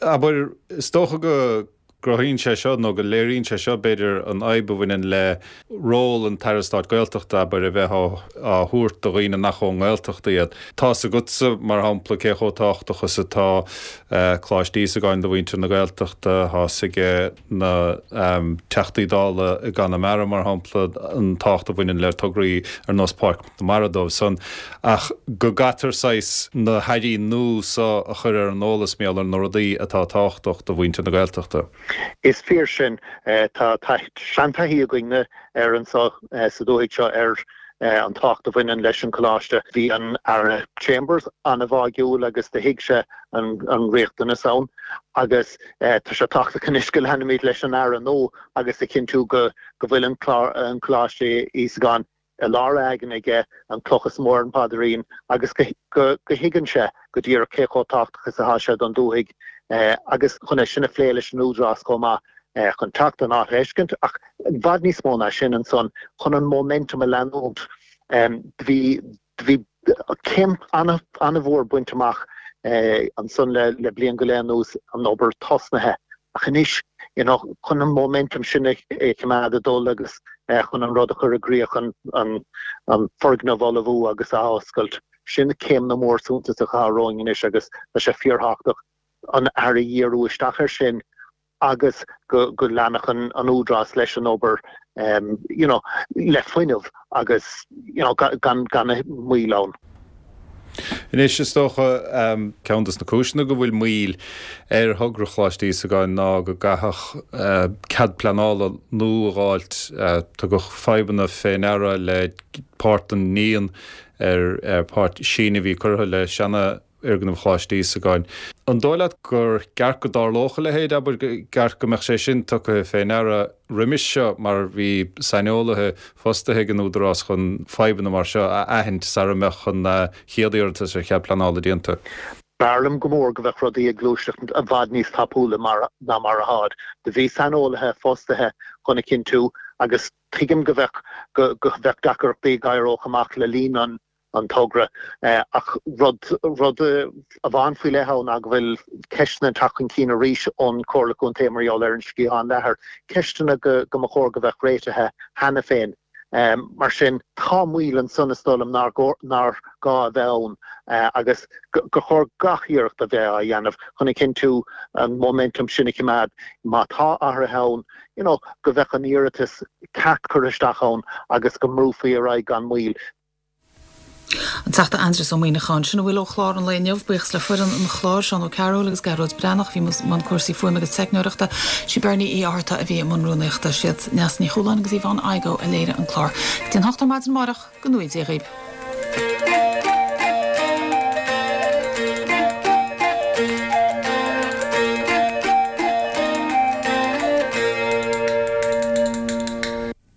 abair, is dócha go gcruthaíonn sé seo nó go léiríonn sé seo, b'fhéidir, an fhadhb a bhaineann le ról an tAire Stáit Gaeltachta, abair, a bheith á thabhairt do dhaoine nach ón nGaeltacht iad. Tá's agatsa, mar shampla, cé chomh tábhachtach is atá Coláiste Íosagáin do mhuintir na Gaeltachta, tá's ag na Teachtaí Dála i gConamara, mar shampla, an tábhacht a bhaineann le tograí ar nós Páirc na Mara dóibh san, ach go gcaitear saghas na hairí nua so a chur ar an eolas mar gheall ar na rudaí atá tábhachtach do mhuintir na Gaeltachta. Is fíor sin. Tá seantaithí againne ar anso sa dúthaigh seo ar an tábhacht a bhaineann leis an choláiste. Bhí an Aire Chambers an-bháúil agus do thuig sé an, an riachtanas ann agus tá sé tábhachtach anois go leanfaimid leis an Aire nua agus a chinntiú go go bhfuil an clár an Coláiste Íosagáin i lár a aigne aige, an cloch is mó ar an bpaidrín agus go go go thuigeann sé go díreach cé chomh tábhachtach is atá sé don dúthaigh agus chun é sin a phlé leis an Údarás chomh maith chun teacht an áit a fheiscint ach i bhfad níos mó ná sin ansan chun an momentum a leanúint. Bhí bhí céim an-mhór bainte amach ansan le le bliain go leith anuas, an obair tosnaithe ach anois you know chun an momentum sin a choimeád ag dul agus chun an rud a chur i gcrích, an an an foirgneamh a ullmhú agus a oscailt, sin céimeanna mór suntasacha atá romhainn anois agus tá sé fíorthábhachtach an aire a dhíriú isteach air sin agus go go leanfadh an Údarás leis an obair you know le fuinneamh agus you know gan gan moill ann. Anois is dócha ceann de na cúiseanna go bhfuil moill ar thogra Choláiste Íosagáin ná go gcaithfeadh cead pleanála nua a dh'fháilt. Tugadh fadhbanna fé ndeara le páirt den ndíon ar páirt síneadh a bhí curtha le seana fhoirgneamh Choláiste Íosagáin. An dóigh leat gur ceart go dtarlódh a leithéid, abair, gur ceart go mbeadh sé sin tugtha fé ndeara roimis seo mar bhí saineolaithe fostaithe ag an Údarás chun fadhbanna mar seo a aithint sara mbeadh an chéad iarratas ar chead pleanála déanta? B'fhearr liom go mór go bheadh rudaí ag gluaiseacht i bhfad níos tapúla ná mar atáid. Do bhí saineolaithe fostaithe chun a chinntiú agus tuigim go bheadh go bheadh deacrachtaí ag éireodh amach le linn an an togra. Ach rud rud amháin faoi leith ann ná go bhfuil ceisteanna ag teacht chun cinn arís ón Chomhairle Contae mar gheall ar an Sciathán Leathair, ceisteanna go go mba chóir go bheadh réitithe cheana féin. Mar sin, tá moill ansan is dóigh liom nár nár gá a bheith ann agus gur chóir gach iarracht a bheith á dhéanamh chun a chinntiú an momentum sin a choimeád. Má tá athruithe ann, you know, go bheadh an iarratas ceart curtha isteach ann agus go mbrúfaí ar aghaidh gan moill. An Teachta Aindrias Ó Muimhneacháin. Sin a bhfuil ó chlár an lae inniu. Buíochas le foireann an chláir, Seán Ó Cearúil agus Gearóid Breathnach a bhí i mbun cúrsaí fuaime agus teicneoireachta. Sí Bernie Uí Fhátharta a bhí i mbun rúnaíochta. Siad Neasa Ní Chualáin agus Yvonne Igoe a léirigh an clár. Go dtí an hocht ar maidin amárach, go ngnóthaí Dia dhaoibh.